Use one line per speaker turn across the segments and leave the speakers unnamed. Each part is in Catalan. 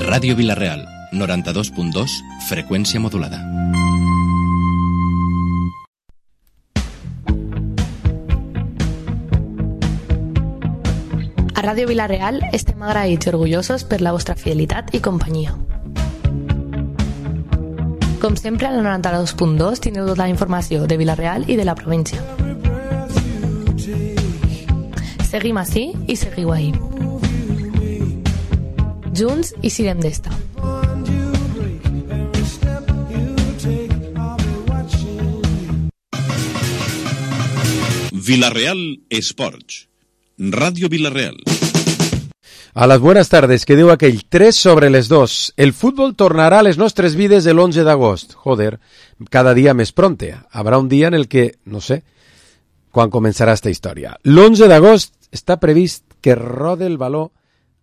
Ràdio Vila-real, 92.2, freqüència modulada.
A Ràdio Vila-real estem agraïts i orgullosos per la vostra fidelitat i companyia. Com sempre, al 92.2 teniu tota la informació de Vila-real i de la província. Seguim ací i seguiu ahí. Junts i siguem d'esta.
Vila-real Esports. Radio Vila-real.
A las buenas tardes, que diu aquell 3 sobre les 2. El fútbol tornarà a les nostres vides el 11 d'agost. Joder, cada dia més pronte. Habrá un dia en el que, no sé, quan començarà esta història. L'11 d'agost està previst que rode el baló,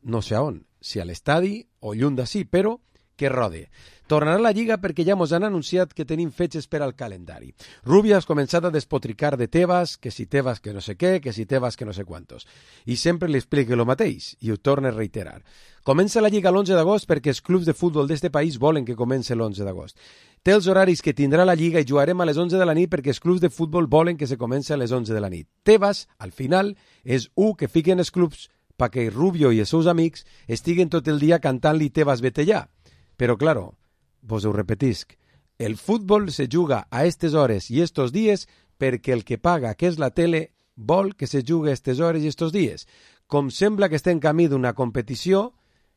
no sé on, si a l'estadi o lluny d'ací, però que rode. Tornarà la Lliga perquè ja mos han anunciat que tenim fetges per al calendari. Rubio has començat a despotricar de Tebas, que si Tebas que no sé què, que si Tebas que no sé quantos. I sempre li explica el mateix, i ho torna a reiterar. Comença la Lliga l'11 d'agost perquè els clubs de futbol d'este país volen que comenci l'11 d'agost. Té els horaris que tindrà la Lliga i jugarem a les 11 de la nit perquè els clubs de futbol volen que se comenci a les 11 de la nit. Tebas, al final, és que fiquen els clubs perquè Rubio i els seus amics estiguen tot el dia cantant-li Tebas vete ja. Però, claro, vos ho repetisc, el futbol se juga a estes hores i estos dies perquè el que paga, que és la tele, vol que se jugue a estes hores i estos dies. Com sembla que està en camí d'una competició,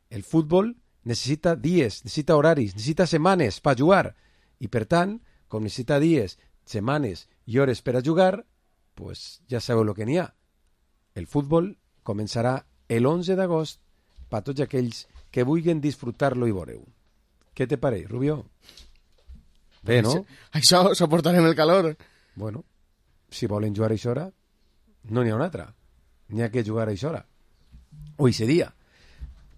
el futbol necessita dies, necessita horaris, necessita setmanes per jugar. I per tant, com necessita dies, setmanes i hores per a jugar, pues ja sabeu el que n'hi ha. El futbol començarà l'11 d'agost per tots aquells que vulguin disfrutar-lo i veureu. Què te pareix, Rubio? Bé, no?
Això, soportarem el calor.
Bueno, si volen jugar a això hora, no n'hi ha una altra. N'hi ha que jugar a això hora. O ese dia.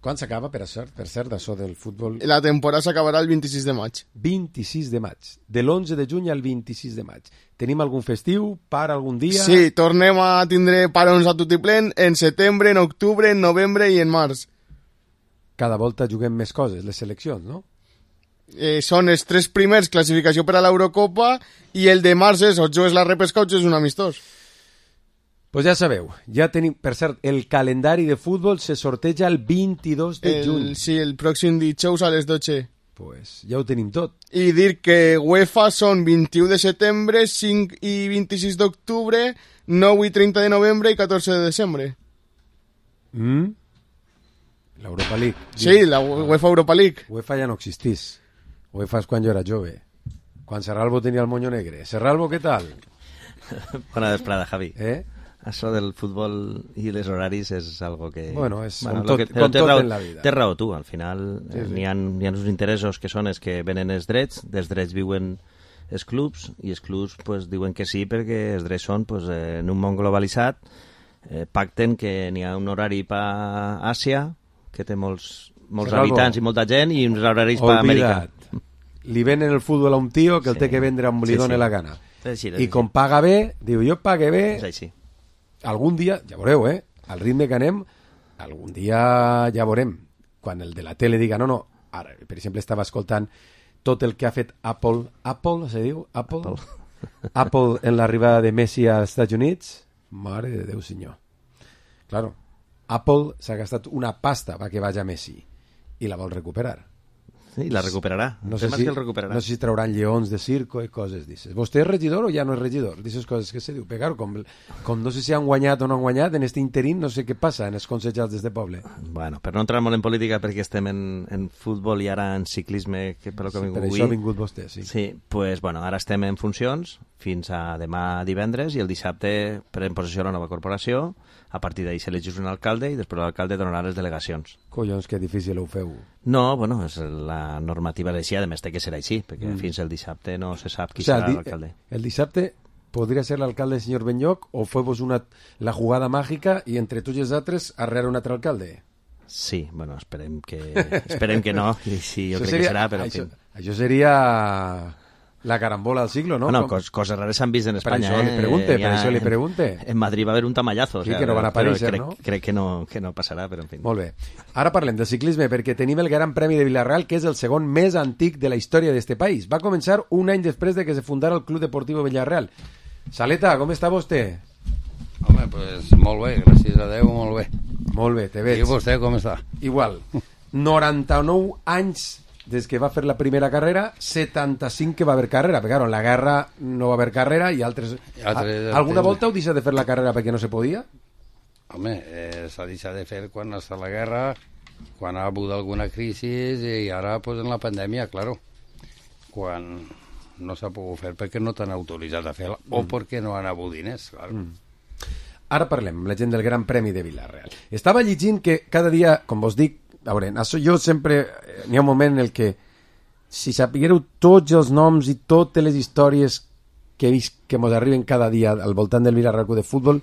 Quan s'acaba, per cert, això del futbol?
La temporada s'acabarà el 26 de maig.
26 de maig. De l'11 de juny al 26 de maig. Tenim algun festiu? Para algun dia?
Sí, tornem a tindre parons a tutiplén en setembre, en octubre, en novembre i en març.
Cada volta juguem més coses, les seleccions, no?
Són els 3 primers classificació per a l'Eurocopa i el de març és o jugues la repesca o jugues un amistós.
Pues ja sabeu, ja tenim, per cert, el calendari de futbol se sorteja el 22 de juny.
Sí, el pròxim dijous a les 12.
Pues ja ho tenim tot.
I dir que UEFA són 21 de setembre, 5 i 26 d'octubre, 9 i 30 de novembre i 14 de desembre.
L'Europa League.
Sí, la UEFA Europa League.
UEFA ja no existís. UEFA és quan jo era jove. Quan Serralvo tenia el moño negre. Serralvo, què tal?
Bona vesprada, Javi.
Eh?
Això del futbol i els horaris és algo que...
Bueno, és
bueno,
com tot
raó,
en la vida.
Té raó tu, al final
sí.
N'hi ha uns interessos que són els que venen els drets, dels drets viuen els clubs, i els clubs pues, diuen que sí perquè els drets són pues, en un món globalitzat, pacten que n'hi ha un horari per Àsia, que té molts habitants i molta gent, i uns horaris per Amèrica.
Li venen el futbol a un tio que el té que vendre on li doni la gana. I com paga bé, diu, jo pague bé...
És així.
Algun dia, ja veureu, al ritme que anem, algun dia ja veurem. Quan el de la tele diga, no, ara, per exemple, estava escoltant tot el que ha fet Apple se diu? Apple en l'arribada de Messi als Estats Units. Mare de Déu, senyor. Claro, Apple s'ha gastat una pasta perquè vagi a Messi i la vol recuperar.
Sí, la recuperarà.
No sé si trauran lleons de circo i coses dices. ¿Vostè és regidor o ja no és regidor? Dices coses que se diu. Però com no sé si han guanyat o no han guanyat, en este interín no sé què passa en els consellats d'este poble.
Bueno, per no entrar molt en política perquè estem en futbol i ara en ciclisme, que per lo que
sí,
vingut
per això ha vingut vostè, sí.
Sí, pues bueno, ara estem en funcions fins a demà divendres i el dissabte pren possessió la nova corporació. A partir d'ahir s'elegeix un alcalde i després l'alcalde donarà les delegacions.
Collons, que difícil ho feu.
No, bueno, és la normativa d'així, a més té que ser així, perquè fins el dissabte no se sap qui serà l'alcalde.
El dissabte podria ser l'alcalde el senyor Benyoc o feu-vos la jugada màgica i entre tots i els altres arrear un altre alcalde?
Sí, bueno, esperem que no, i sí, jo crec que serà, però...
Això seria La carambola del siglo, ¿no?
Bueno, cosas raras s'han vist en Espanya.
Per això li pregunte.
En Madrid va haver un tamallazo.
Sí, que no van aparèixer, no?
Crec que no passarà, però en fi.
Molt bé. Ara parlem del ciclisme, perquè tenim el Gran Premi de Villarreal, que és el segon més antic de la història d'este país. Va començar un any després de que se fundara el Club Deportivo Villarreal. Saleta, com està vostè?
Home, pues molt bé, gràcies a Déu, molt bé.
Molt bé, te veig.
I vostè com està?
Igual. 99 anys des que va fer la primera carrera, 75 que va haver carrera, perquè claro, en la guerra no va haver carrera i altres... Alguna volta heu deixat de fer la carrera perquè no se podia?
Home, s'ha deixat de fer quan està la guerra, quan ha hagut alguna crisi i ara pues, en la pandèmia, claro, quan no s'ha pogut fer perquè no t'han autoritzat a fer-la o perquè no han hagut diners, claro.
Ara parlem, la gent del Gran Premi de Villarreal. Estava llegint que cada dia, com vos dic, a veure, jo sempre... N'hi ha un moment en el que si sapiguéreu tots els noms i totes les històries que he vist que mos arriben cada dia al voltant del Villarreal de futbol,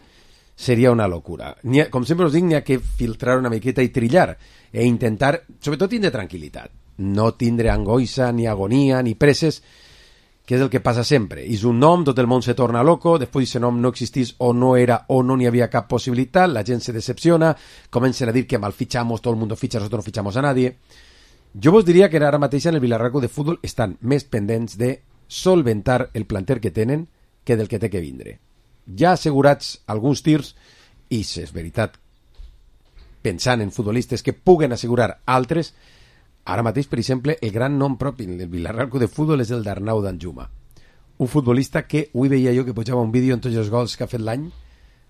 seria una locura. Com sempre us dic, n'hi ha que filtrar una miqueta i trillar e intentar, sobretot, tindre tranquil·litat. No tindre angoixa, ni agonia, ni presses, que és el que passa sempre. És un nom, tot el món se torna loco, després aquest nom no existís o no era o no n'hi havia cap possibilitat, la gent se decepciona, comencen a dir que mal fichamos, todo el mundo ficha, nosotros no fichamos a nadie. Jo vos diria que ara mateix en el Villarreal de futbol estan més pendents de solventar el planter que tenen que del que té que vindre. Ja assegurats alguns tirs, i si és veritat, pensant en futbolistes que puguen assegurar altres. Ara mateix, per exemple, el gran nom propi del Villarreal de futbol és el d'Arnau Danjuma. Un futbolista que, avui veia jo que pujava un vídeo en tots els gols que ha fet l'any,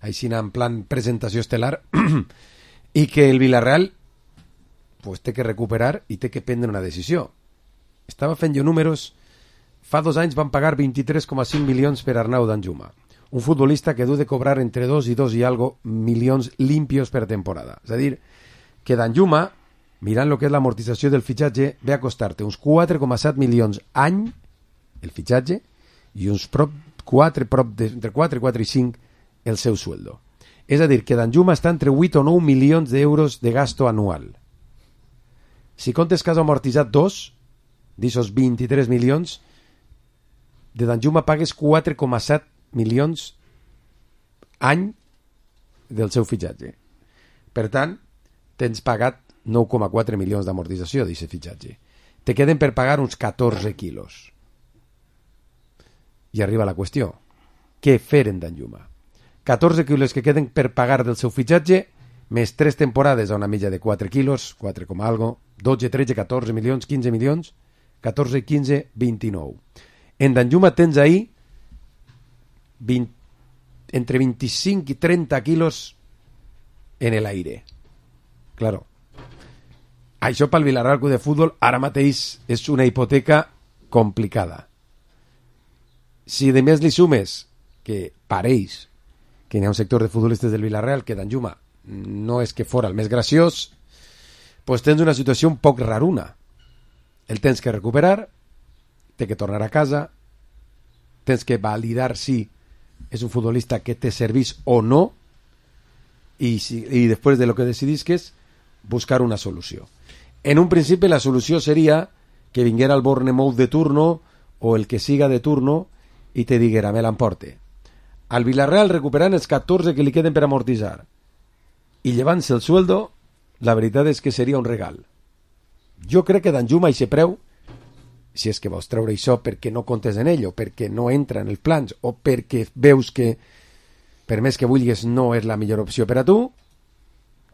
així en plan presentació estel·lar, i que el Villarreal pues, té que recuperar i té que prendre una decisió. Estava fent jo números, fa 2 anys van pagar 23,5 milions per Arnau Danjuma. Un futbolista que du de cobrar entre 2 i 2 i algo milions limpios per temporada. És a dir, que Danjuma, mirant el que és l'amortització del fitxatge, ve a costar-te uns 4,7 milions any, el fitxatge, i uns entre 4 i 5 el seu sueldo. És a dir, que Danjuma està entre 8 o 9 milions d'euros de gasto anual. Si comptes que has amortitzat 2, d'aixòs 23 milions, de Danjuma pagues 4,7 milions any del seu fitxatge. Per tant, tens pagat 9,4 milions d'amortització d'aquest fitxatge. Te queden per pagar uns 14 quilos. I arriba la qüestió. Què fer en Danjuma? 14 quilos que queden per pagar del seu fitxatge, més 3 temporades a una mitja de 4 quilos, 4, algo, 12, 13, 14 milions, 15 milions, 14, 15, 29. En Danjuma tens ahí entre 25 i 30 quilos en el aire. Claro. Això pel Villarreal de futbol ara mateix és una hipoteca complicada. Si de més li sumes que pareix que hi ha un sector de futbolistes del Villarreal que Danjuma no és que fora el més graciós, pues tens una situació un poc raruna. El tens que recuperar, té que tornar a casa, tens que validar si és un futbolista que te servís o no, i després de lo que decidisques, buscar una solució. En un principi la solució seria que vinguera el Bournemouth de turno o el que siga de turno i te diguera, me l'emporte. Al Villarreal recuperant els 14 que li queden per amortitzar i llevant-se el sueldo, la veritat és que seria un regal. Jo crec que Danjuma i se preu, si és que vols treure això perquè no comptes en ell o perquè no entra en els plans o perquè veus que per més que vulguis no és la millor opció per a tu,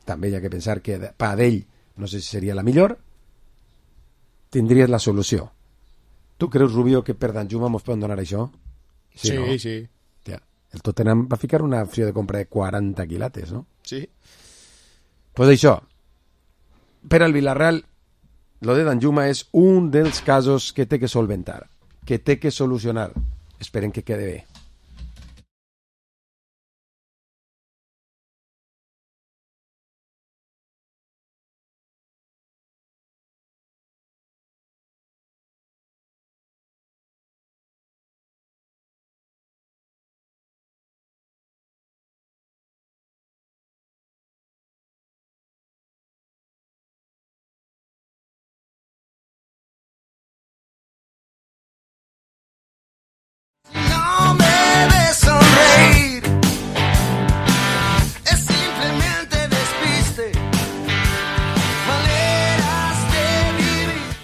també hi ha que pensar que per a ell no sé si seria la millor, tindries la solució. Tu creus, Rubio, que per Danjuma mos poden donar això?
Sí,
no?
sí.
Ja. El Tottenham va ficar una opció de compra de 40 quilates, no?
Sí.
Pues això, per al Villarreal, lo de Danjuma és un dels casos que té que solventar, que té que solucionar. Esperem que quede bé.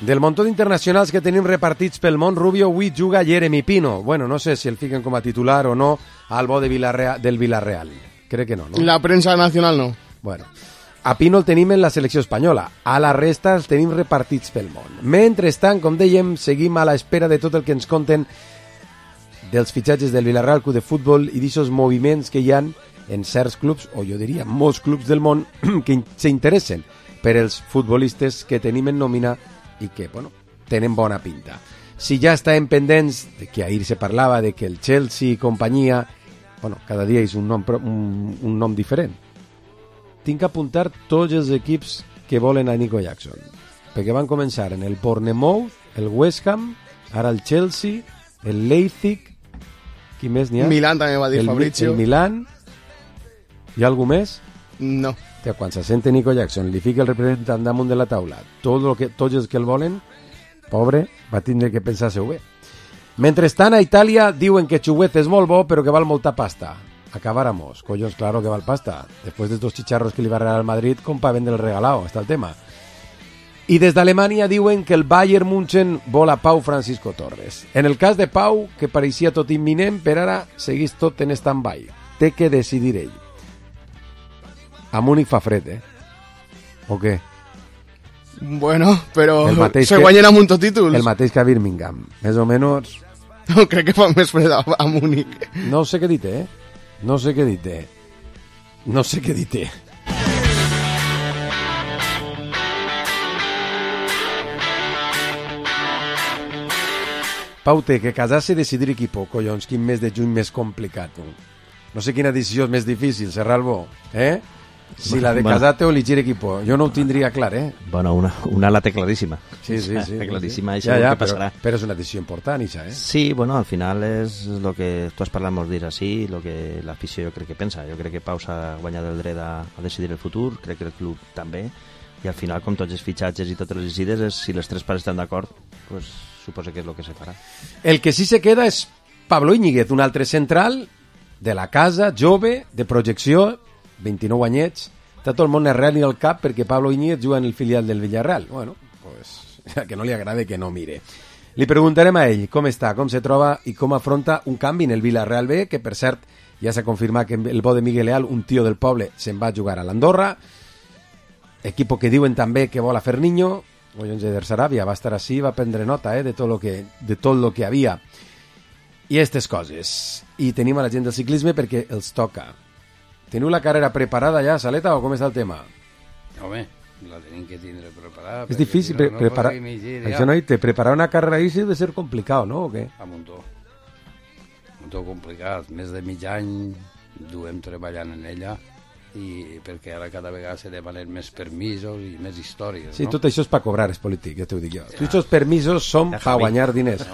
Del muntó d'internacionals que tenim repartits pel món, Rubio, avui juga Jeremy Pino. Bueno, no sé si el fiquen com a titular o no al bo del Villarreal. Crec que no, no?
La premsa nacional no.
Bueno, a Pino el tenim en la selecció espanyola. A la resta els tenim repartits pel món. Mentrestant, com dèiem, seguim a l'espera de tot el que ens conten dels fitxatges del Villarreal Club de Futbol i d'aquests moviments que hi ha en certs clubs, o jo diria molts clubs del món, que s'interessen per els futbolistes que tenim en nòmina i que, bueno, tenen bona pinta. Si ja estem pendents, de que ahir se parlava de que el Chelsea i companyia, bueno, cada dia és un nom diferent. Tinc que apuntar tots els equips que volen a Nico Jackson, perquè van començar en el Bournemouth, el West Ham, ara el Chelsea, el Leipzig, qui més n'hi ha?
Milan també va dir Fabrizio.
El Milan. Hi ha algú més?
No.
Quan se sente Nico Jackson, li fica el representant damunt de la taula, tots els que el volen, pobre, va tindre que pensar-se-ho bé. Mentrestant, a Itàlia diuen que Chuguez és molt bo, però que val molta pasta. Acabáramos. Collons, claro que val pasta. Después de estos chicharros que li va regalar al Madrid, com pa vendre el regalado, està el tema. I des d'Alemanya diuen que el Bayern München vol a Pau Francisco Torres. En el cas de Pau, que pareixia tot imminent, per ara seguís tot en stand-by. Té que decidir ell. A Múnich fa fred, o què?
Bueno, però se
que,
guanyen amb un tot títols.
El mateix que a Birmingham, més o menys.
No, crec que fa més fred a Múnich.
No sé què dir, No sé què dir, No sé què dir, Pau, té que casar-se i decidir equip, collons, quin mes de juny més complicat. No sé quina decisió és més difícil, Serralbo, Si la de casar-te o elegir equipo. Jo no ho tindria clar,
Bueno, una la té claríssima.
Sí.
Claríssima,
sí.
Ja, passarà.
Però és una decisió important, això,
Sí, bueno, al final és el que tu has parlat molts dies així, el que l'afició jo crec que pensa. Jo crec que Pau s'ha guanyat el dret a decidir el futur, crec que el club també, i al final, com tots els fitxatges i totes les decides, si les tres parts estan d'acord, pues, suposo que és el que se farà.
El que sí se queda és Pablo Íñiguez, un altre central de la casa, jove, de projecció, 29 anyets, està tot el món arrel i al cap perquè Pablo Íñiguez juga en el filial del Villarreal. Bueno, pues, que no li agrade que no mire. Li preguntarem a ell com està, com se troba i com afronta un canvi en el Villarreal B, que per cert ja s'ha confirmat que el bo de Miguel Leal, un tio del poble, se'n va a jugar a l'Andorra, equipo que diuen també que vol a Ferniño, Collons de Saràbia va estar així, va prendre nota de tot lo que havia. I aquestes coses. I tenim a la gent del ciclisme perquè els toca. Teniu la carrera preparada ja, Saleta, o com està el tema?
Home, la tenim que tindre preparada.
És difícil
si no,
preparar. Això no, preparar una carrera així deve ser complicat, no? O què?
A muntó complicat. Més de mig any duem treballant en ella i perquè ara cada vegada se demanen més permisos i més històries,
sí,
no?
Tot això és per cobrar, és polític, ja t'ho dic jo. Tots els permisos són per guanyar diners.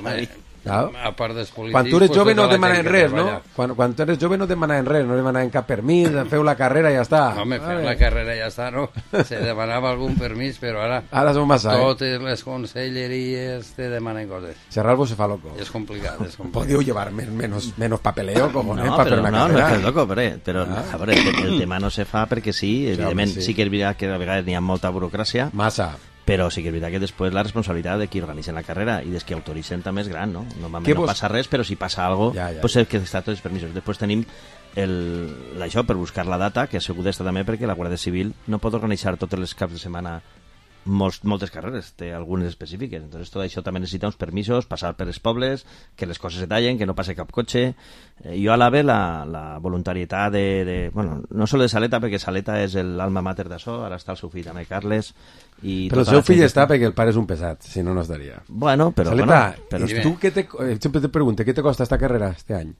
A part dels polítics...
Quan tu eres jove no demanen res, no?
Treballa.
Quan tu eres jove no demanen res, no demanen cap permís, feu la carrera i ja està.
Home, feu la carrera i ja està, no? Se demanava algun permís, però ara...
Ara som massa,
Totes les conselleries te demanen coses.
Serralbo se fa loco.
És complicat, és complicat.
Podeu llevar menos papeleo, cojones,
no,
para fer una carrera.
No, és loco, però a veure, el tema no se fa perquè sí, evidentment, sí que és veritat que a vegades n'hi ha molta burocràcia.
Massa.
Però sí que és veritat que després la responsabilitat de qui organitzen la carrera i dels que autoritzen també és gran, no? Normalment no passa res, però si passa alguna cosa, pues és que està tots els permisos. Després tenim això per buscar la data, que segur d'estar també perquè la Guàrdia Civil no pot organitzar tots els caps de setmana moltes carreres, té algunes específiques. Entonces tot això també necessita uns permisos, passar per els pobles, que les coses se tallen, que no passe cap cotxe. Jo alabe la voluntarietat bueno, no sol de Saleta, perquè Saleta és l'alma mater d'això, ara està el seu fill també, Carles.
Però el seu fill està perquè el pare és un pesat, si no, no estaria.
Bueno, però...
Saleta, tu sempre te pregunto, què te costa esta carrera este any?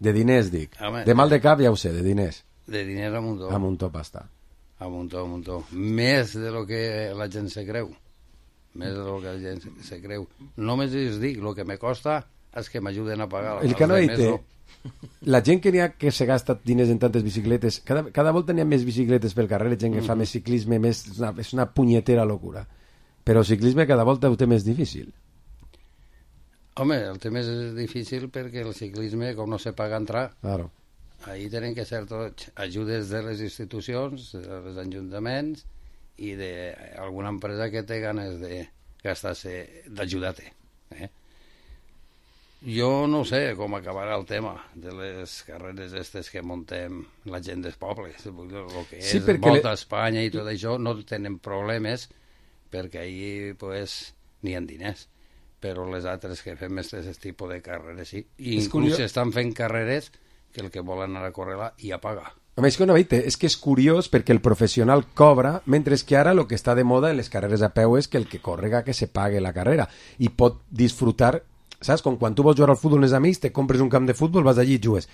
De diners, dic. De mal de cap ja ho sé, de diners.
De diners a muntó.
A muntó pasta.
A muntó. Més de lo que la gent se creu. Més de lo que la gent se creu. Només us dic, lo que me costa és que m'ajuden a pagar.
El que no he dit, la gent que se gasta diners en tantes bicicletes, cada volta n'hi ha més bicicletes pel carrer, la gent que fa més ciclisme, és una punyetera locura. Però el ciclisme cada volta ho té més difícil.
Home, el té més difícil perquè el ciclisme, com no se paga entrar,
claro.
Ahí tenen que ser tots ajudes de les institucions, dels ajuntaments i d'alguna empresa que té ganes de gastar-se d'ajudar-te. Jo no sé com acabarà el tema de les carreres aquestes que muntem la gent dels pobles. El que és Volta a Espanya i tot això no tenen problemes perquè ahir pues, n'hi ha diners. Però les altres que fem aquest tipus de carreres sí. I inclús estan fent carreres que el que volen anar a córrer-la ja paga.
Home, és que una veita, és que és curiós perquè el professional cobra, mentre que ara el que està de moda en les carreres a peu és que el que correga que se pague la carrera i pot disfrutar, saps? Com quan tu vols jugar al futbol amb els amics, te compres un camp de futbol, vas allí i jugues.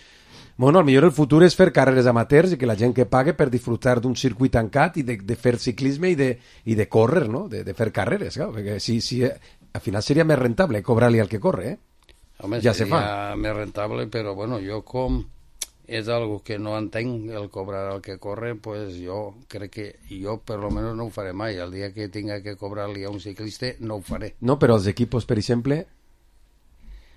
Bueno, millor el futur és fer carreres amateurs i que la gent que pague per disfrutar d'un circuit tancat i de fer ciclisme i de córrer, no? De fer carreres, clar, perquè si, al final seria més rentable cobrar-li al que corre,
Home,
ja
seria més rentable, però bueno, jo com és algo que no entenc, el cobrar al que corre, pues jo crec que jo per lo menos no ho faré mai. El dia que tinga que cobrar-li a un ciclista no ho faré.
No, però els equipos, per exemple,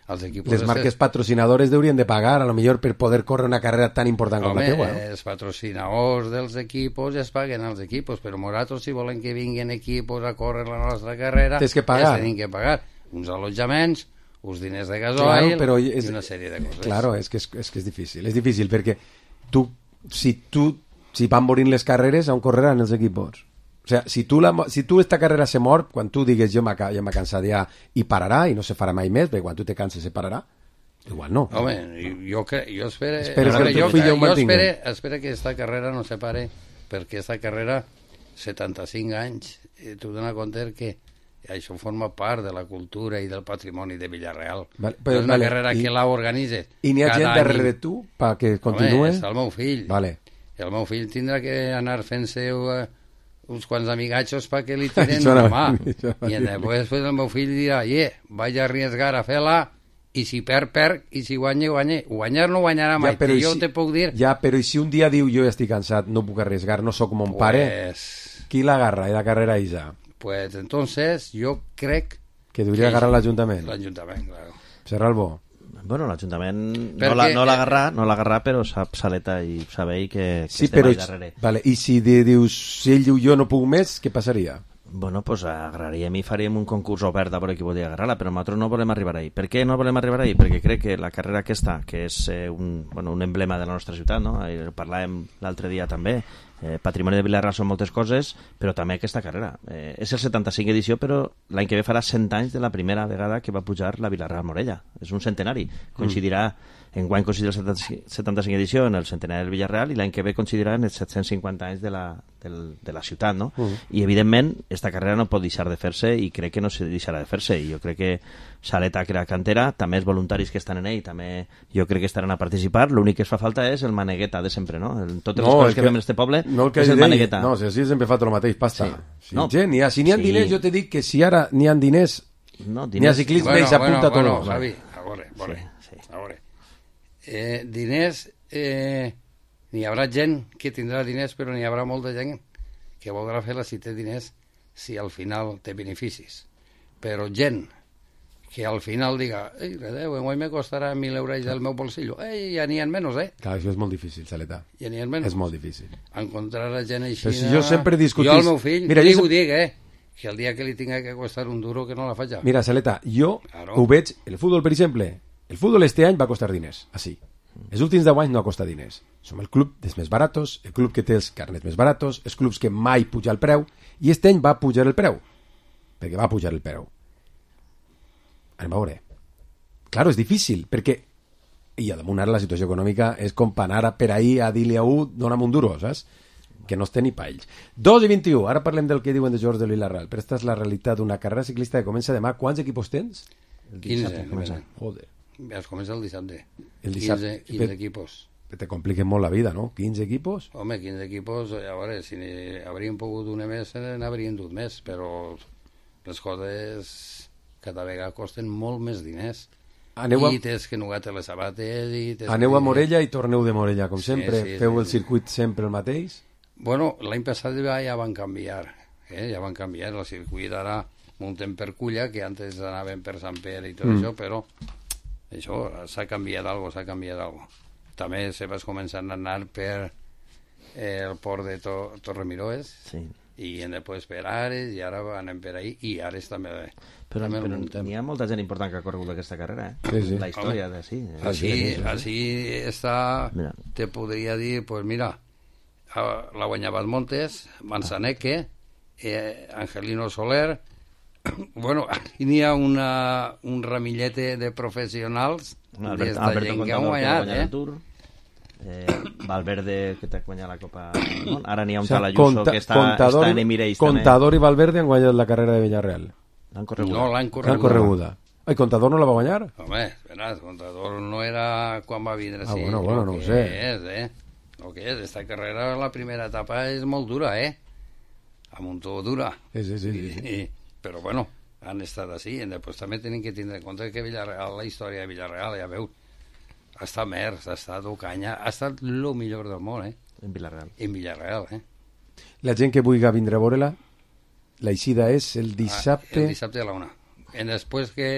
les marques patrocinadores deurien de pagar, a lo millor per poder córrer una carrera tan important com la teua.
Els patrocinadors dels equipos es paguen als equipos, però nosaltres si volen que vinguin equipos a córrer la nostra carrera,
tens que pagar.
Tenim que pagar uns allotjaments, uns diners de gasoil,
claro,
i una sèrie de coses.
Claro, és que és difícil. És difícil perquè si van morint les carreres, on correran els equipos? O sea, si tu esta carrera se mor, quan tu digues jo m'ha cansat ja i pararà i no se farà mai més, perquè quan tu te canses se pararà, igual no.
Home, jo espero que esta carrera no se pare, perquè esta carrera 75 anys, tu dona compte que això forma part de la cultura i del patrimoni de Villarreal. És una carrera que la organitzes.
I n'hi ha gent darrere de tu perquè continuï?
Home, és el meu fill.
Vale.
El meu fill tindrà que anar fent-se uns quants amigatxos perquè li tiren la mà. I després el meu fill dirà, vaig a arriesgar a fer-la, i si perd, i si guanya. Guanyar no guanyarà mai, jo te puc dir...
Ja, però i si un dia diu jo ja estic cansat, no puc arriesgar, no sóc mon pare, qui l'agarra i la carrera Isa?
Pues entonces yo crec
que debería agarrar l'Ajuntament.
L'Ajuntament, claro.
Serà el bo.
Bueno, l'Ajuntament no l'agarrà, però sap Saleta i saber que
sí,
estem allà darrere.
Vale. I si dius, si ell diu jo no puc més, què passaria?
Bueno, pues agarraríem i faríem un concurs obert a veure qui volia agarrar-la, però nosaltres no volem arribar ahí. Per què no volem arribar ahí? Perquè crec que la carrera aquesta, que és un emblema de la nostra ciutat, no? Parlàvem l'altre dia també, patrimoni de Villarreal són moltes coses, però també aquesta carrera. És el 75 edició, però l'any que ve farà 100 anys de la primera vegada que va pujar la Villarreal Morella. És un centenari. Coincidirà, enguany coincidirà el 75 edició en el centenari del Villarreal i l'any que ve coincidirà en els 750 anys de la ciutat, no? I evidentment, esta carrera no pot deixar de fer-se i crec que no se deixarà de fer-se. I jo crec que Saleta crea cantera, també els voluntaris que estan en ell, també jo crec que estaran a participar. L'únic que es fa falta és el manegueta de sempre, no? Totes les coses que fem en este poble és el manegueta.
No, si sempre hem fet el mateix, pasta. Si n'hi ha diners, jo te dic que si ara n'hi ha diners, n'hi ha ciclisme i s'apunta tot.
Bueno, Javi, a veure. Diners, n'hi haurà gent que tindrà diners, però n'hi haurà molta gent que voldrà fer-la si té diners, si al final té beneficis. Però gent que al final diga, enguany me costarà 1.000 euros del meu bolsillo, ja n'hi ha menys,
Clar, això és molt difícil, Saleta.
Ja n'hi ha menys.
És molt difícil.
Encontrar la gent així...
Però si jo sempre discutís...
Jo al meu fill, ho dic, que el dia que li tinga que costar un duro que no la faig.
Mira, Saleta, jo ho veig, el futbol, per exemple, el futbol este any va costar diners, així. Els últims 10 anys no ha costat diners. Som el club dels més baratos, el club que té els carnets més baratos, els clubs que mai puja el preu, i este any va pujar el preu, perquè va pujar el preu. Anem a veure. Claro, és difícil, perquè i a damunt ara la situació econòmica és com anar per ahir a dir-li a un dona'm un duro, saps? Que no es té ni pa ells. 2:21, ara parlem del que diuen de George de Villarreal, però esta és la realitat d'una carrera ciclista que comença demà. Quants equipos tens?
15.
Joder.
Es comença el dissabte.
15
equipos.
Te compliquen molt la vida, no? 15 equipos?
Home, 15 equipos, a veure, si n'haurien pogut una més, n'haurien dut més, però les coses cada vegada costen molt més diners. I tens que nugar-te les sabates...
Aneu a Morella i torneu de Morella, com sempre. Feu el circuit sempre el mateix?
Bueno, l'any passat ja van canviar. Ja van canviar el circuit. Ara muntem per Culla, que antes anaven per Sant Pere i tot això, però això s'ha canviat alguna cosa. També se vas començant a anar per el port de Torremiroes i després per Ares, i ara anem per ahí, i Ares també...
Però n'hi ha molta gent important que ha corregut aquesta carrera,
Sí.
La història de sí.
Així està...
Mira.
Te podria dir, pues mira, la guanyava Montes, Manzaneque, Angelino Soler... Bueno, aquí n'hi ha un ramillete de professionals des de gent que han guanyat,
Valverde, que t'ha guanyat la Copa del Món. Ara n'hi ha un tal Ayuso que està en Emirates també.
Contador i Valverde han guanyat la carrera de Villarreal.
L'han correguda.
No, l'han
L'han correguda. Ai, Contador no la va guanyar?
Home, veràs, Contador no era quan va vindre.
Ah, bueno, no ho sé.
El que és, esta carrera, la primera etapa és molt dura, A muntó dura.
Sí.
Però bueno, han estat així, i després també tenen que tindre en compte que Villarreal, la història de Villarreal, ja veu, ha estat Mers, ha estat Ocaña, ha estat el millor del món,
En Villarreal.
En Villarreal,
La gent que vulgui vindre a veure-la, l'eixida és el dissabte...
El dissabte a la 1. I després que...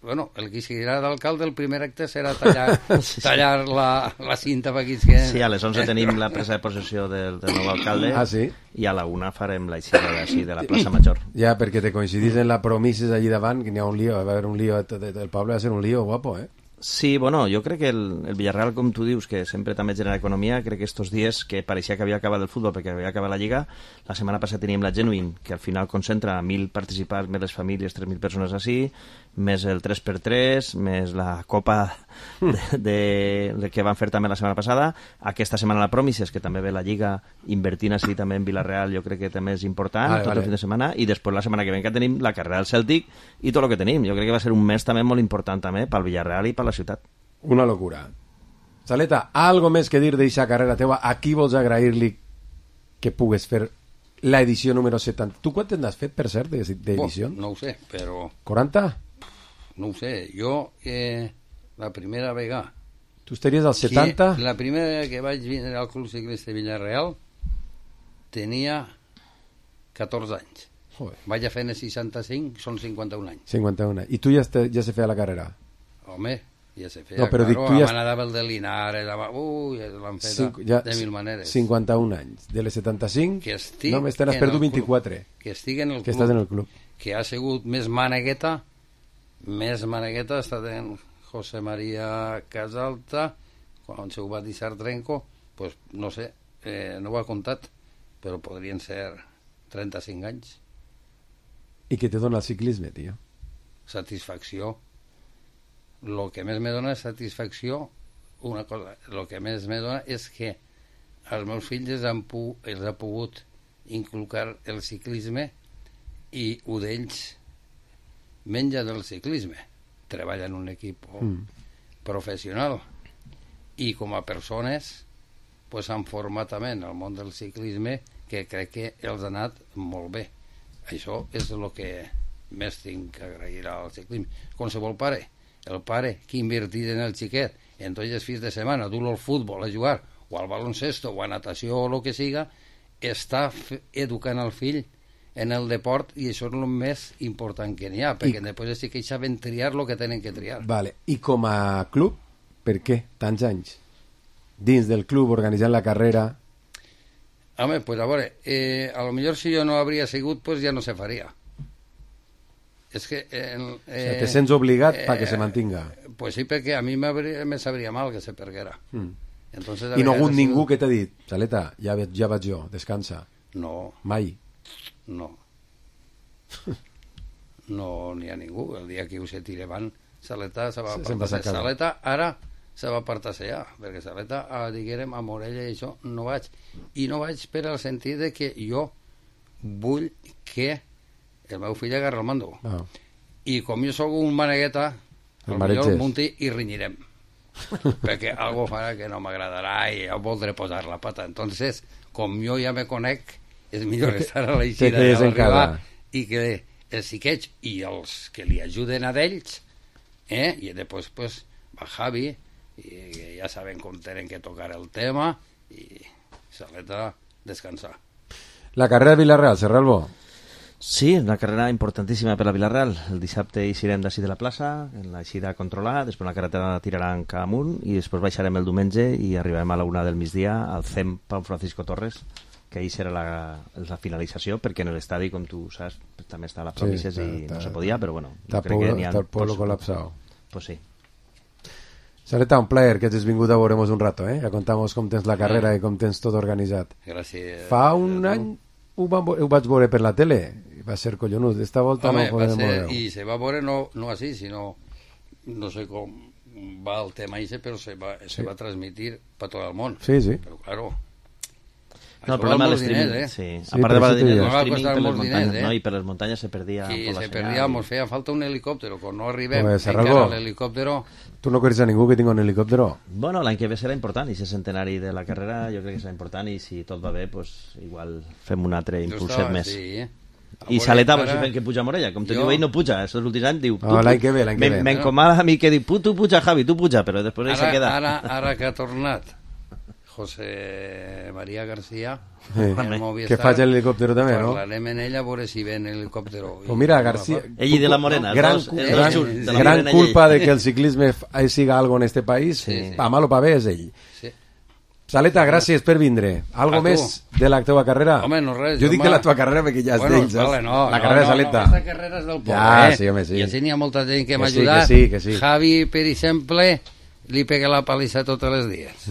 Bueno, el que seguirà d'alcalde, el primer acte serà tallar la cinta per aquí.
Sí, a les 11 tenim la presa de possessió del nou alcalde.
Sí?
I a la 1 farem l'eixida de la plaça Major.
Ja, perquè te coincidís en la promises allí davant, que n'hi ha un lío, va haver un lío, el poble va ser un lío guapo,
Sí, bueno, jo crec que el Villarreal, com tu dius, que sempre també genera economia, crec que estos dies que pareixia que havia acabat el futbol perquè havia acabat la Lliga, la setmana passada teníem la Genuine, que al final concentra 1.000 participants, més les famílies, 3.000 persones així, més el 3x3, més la Copa que van fer també la setmana passada. Aquesta setmana la Promises, que també ve la Lliga invertint així també en Villarreal, jo crec que també és important, tot el fin de setmana, i després la setmana que ve que tenim la carrera del Celtic i tot el que tenim. Jo crec que va ser un mes també molt important també pel Villarreal i per la ciutat.
Una locura. Saleta, algo més que dir d'eixa carrera teua? A qui vols agrair-li que pugues fer la edició número 70? Tu quant n'has fet, per cert, d'edició?
No ho sé, però...
40?
No ho sé. Jo, la primera vegada...
Tu estaries al 70?
La primera vegada que vaig vindre al Club Ciclista de Villarreal tenia 14 anys.
Joder.
Vaig a fer en el 65, són 51 anys.
51. I tu ja se feia la carrera?
Home, ja se feia,
no, però
claro,
tu ja...
anava el de Linares, l'han fet de mil maneres.
51 anys. De les 75, només te n'has perdut 24.
Que estic en el club.
Que estàs en el club.
Que ha sigut més manegueta ha estat en José María Casalta, quan se ho va deixar Trenco, pues, no sé, no ho ha comptat, però podrien ser 35 anys.
I què te dona el ciclisme, tio?
Satisfacció. El que més me dona satisfacció, una cosa, el que més me dona és que als meus fills els ha pogut inculcar el ciclisme i un d'ells menja del ciclisme, treballa en un equip professional i com a persones pues, han format també en el món del ciclisme que crec que els ha anat molt bé. Això és el que més tinc que agrair al ciclisme. Qualsevol pare, el pare que invertit en el xiquet en tots els fins de setmana, dur-lo al futbol a jugar o al baloncesto o a natació o el que siga, està educant el fill en el deport i això és el més important que n'hi ha, perquè després sí que saben triar el que tenen que triar.
Vale. I com a club, per què tants anys? Dins del club, organitzant la carrera...
Home, pues a veure, a lo millor si jo no hauria sigut, pues ja no se faria. És que...
o sea, te sents obligat perquè se mantinga.
Pues sí, perquè a mi me sabria mal que se perguera. Entonces,
I no ha hagut ningú que t'ha dit, Saleta, ja vaig jo, descansa.
No.
Mai.
No. No n'hi ha ningú. El dia que ho se tira avant, Saleta se va apartar. Saleta ara se va apartar-se perquè Saleta, diguérem, a Morella i això, no vaig. I no vaig per al sentit de que jo vull que el meu fill agarra el mando. I com jo sóc un manegueta, potser munti i rinyirem. Perquè algo farà que no m'agradarà i jo voldré posar la pata. Entonces, com jo ja me conec, és millor estar a l'eixida de l'arribar i que els xiquets i els que li ajuden a d'ells i després pues, va Javi i ja saben com tenen que tocar el tema i Saleta descansar.
La carrera de Villarreal, Serralbo?
Sí, una carrera importantíssima per la Villarreal. El dissabte eixirem d'ací de la plaça, en l'eixida a controlar, després la carretera tiraran cap amunt i després baixarem el diumenge i arribarem a la 1 del migdia al CEM Pau Francisco Torres, que ahir serà la finalització, perquè en l'estadi, com tu saps, també està a les províncies i no se podia, però bueno,
Está el pueblo colapsado.
Pues sí.
Sareta, un plaer que hagis vingut a veurem un rato, que contamos com tens la carrera i com tens tot organitzat.
Gràcies.
Fa un any ho vaig veure per la tele, i va ser collonut. Esta volta no podem veure.
I se va veure no així, sinó, no sé com va el tema ese, però se va transmitir per tot el món.
Sí.
Però, claro,
No, el problema
dels
del
streaming,
sí.
Sí,
A part de
però
valer diners,
no va
el streaming
costar
per les
molts
muntanyes,
diners,
no? I per les muntanyes se perdia
sí,
por la
se
senyal.
perdia, ens feia falta un helicòptero, quan no arribem
Pues,
encara
Serralbó.
l'helicòptero.
Tu no coneixes a ningú que tingui un helicòptero?
Bueno, l'any que ve serà important, i si és centenari de la carrera jo crec que serà important, i si tot va bé, pues, igual fem un altre impulset més.
Sí,
I Saleta, si fem que puja a Morella, com te diu ell, no puja, els últims anys diu...
L'any que ve.
M'encomana a mi que diu, tu puja, Javi, tu puja, però després ell se queda.
Ara que ha tornat José María García,
que faig l'helicòptero també, no?
Parlarem en ella a veure si ve en l'helicòptero.
Pues mira, García...
Ell i de la Morena.
Gran culpa de que el ciclisme siga algo en este país, pa mal o pa bé és ell. Saleta, gràcies per vindre. Algo més de la teva carrera?
Home, no res.
Jo dic que la teva carrera perquè ja és d'ells, saps? La carrera de Saleta.
No, aquesta carrera és del poble,
Ja, sí, home, sí.
I així n'hi ha molta gent que m'ha
sí,
ajudat.
que sí.
Javi, per exemple, li pega la palissa tots els dies.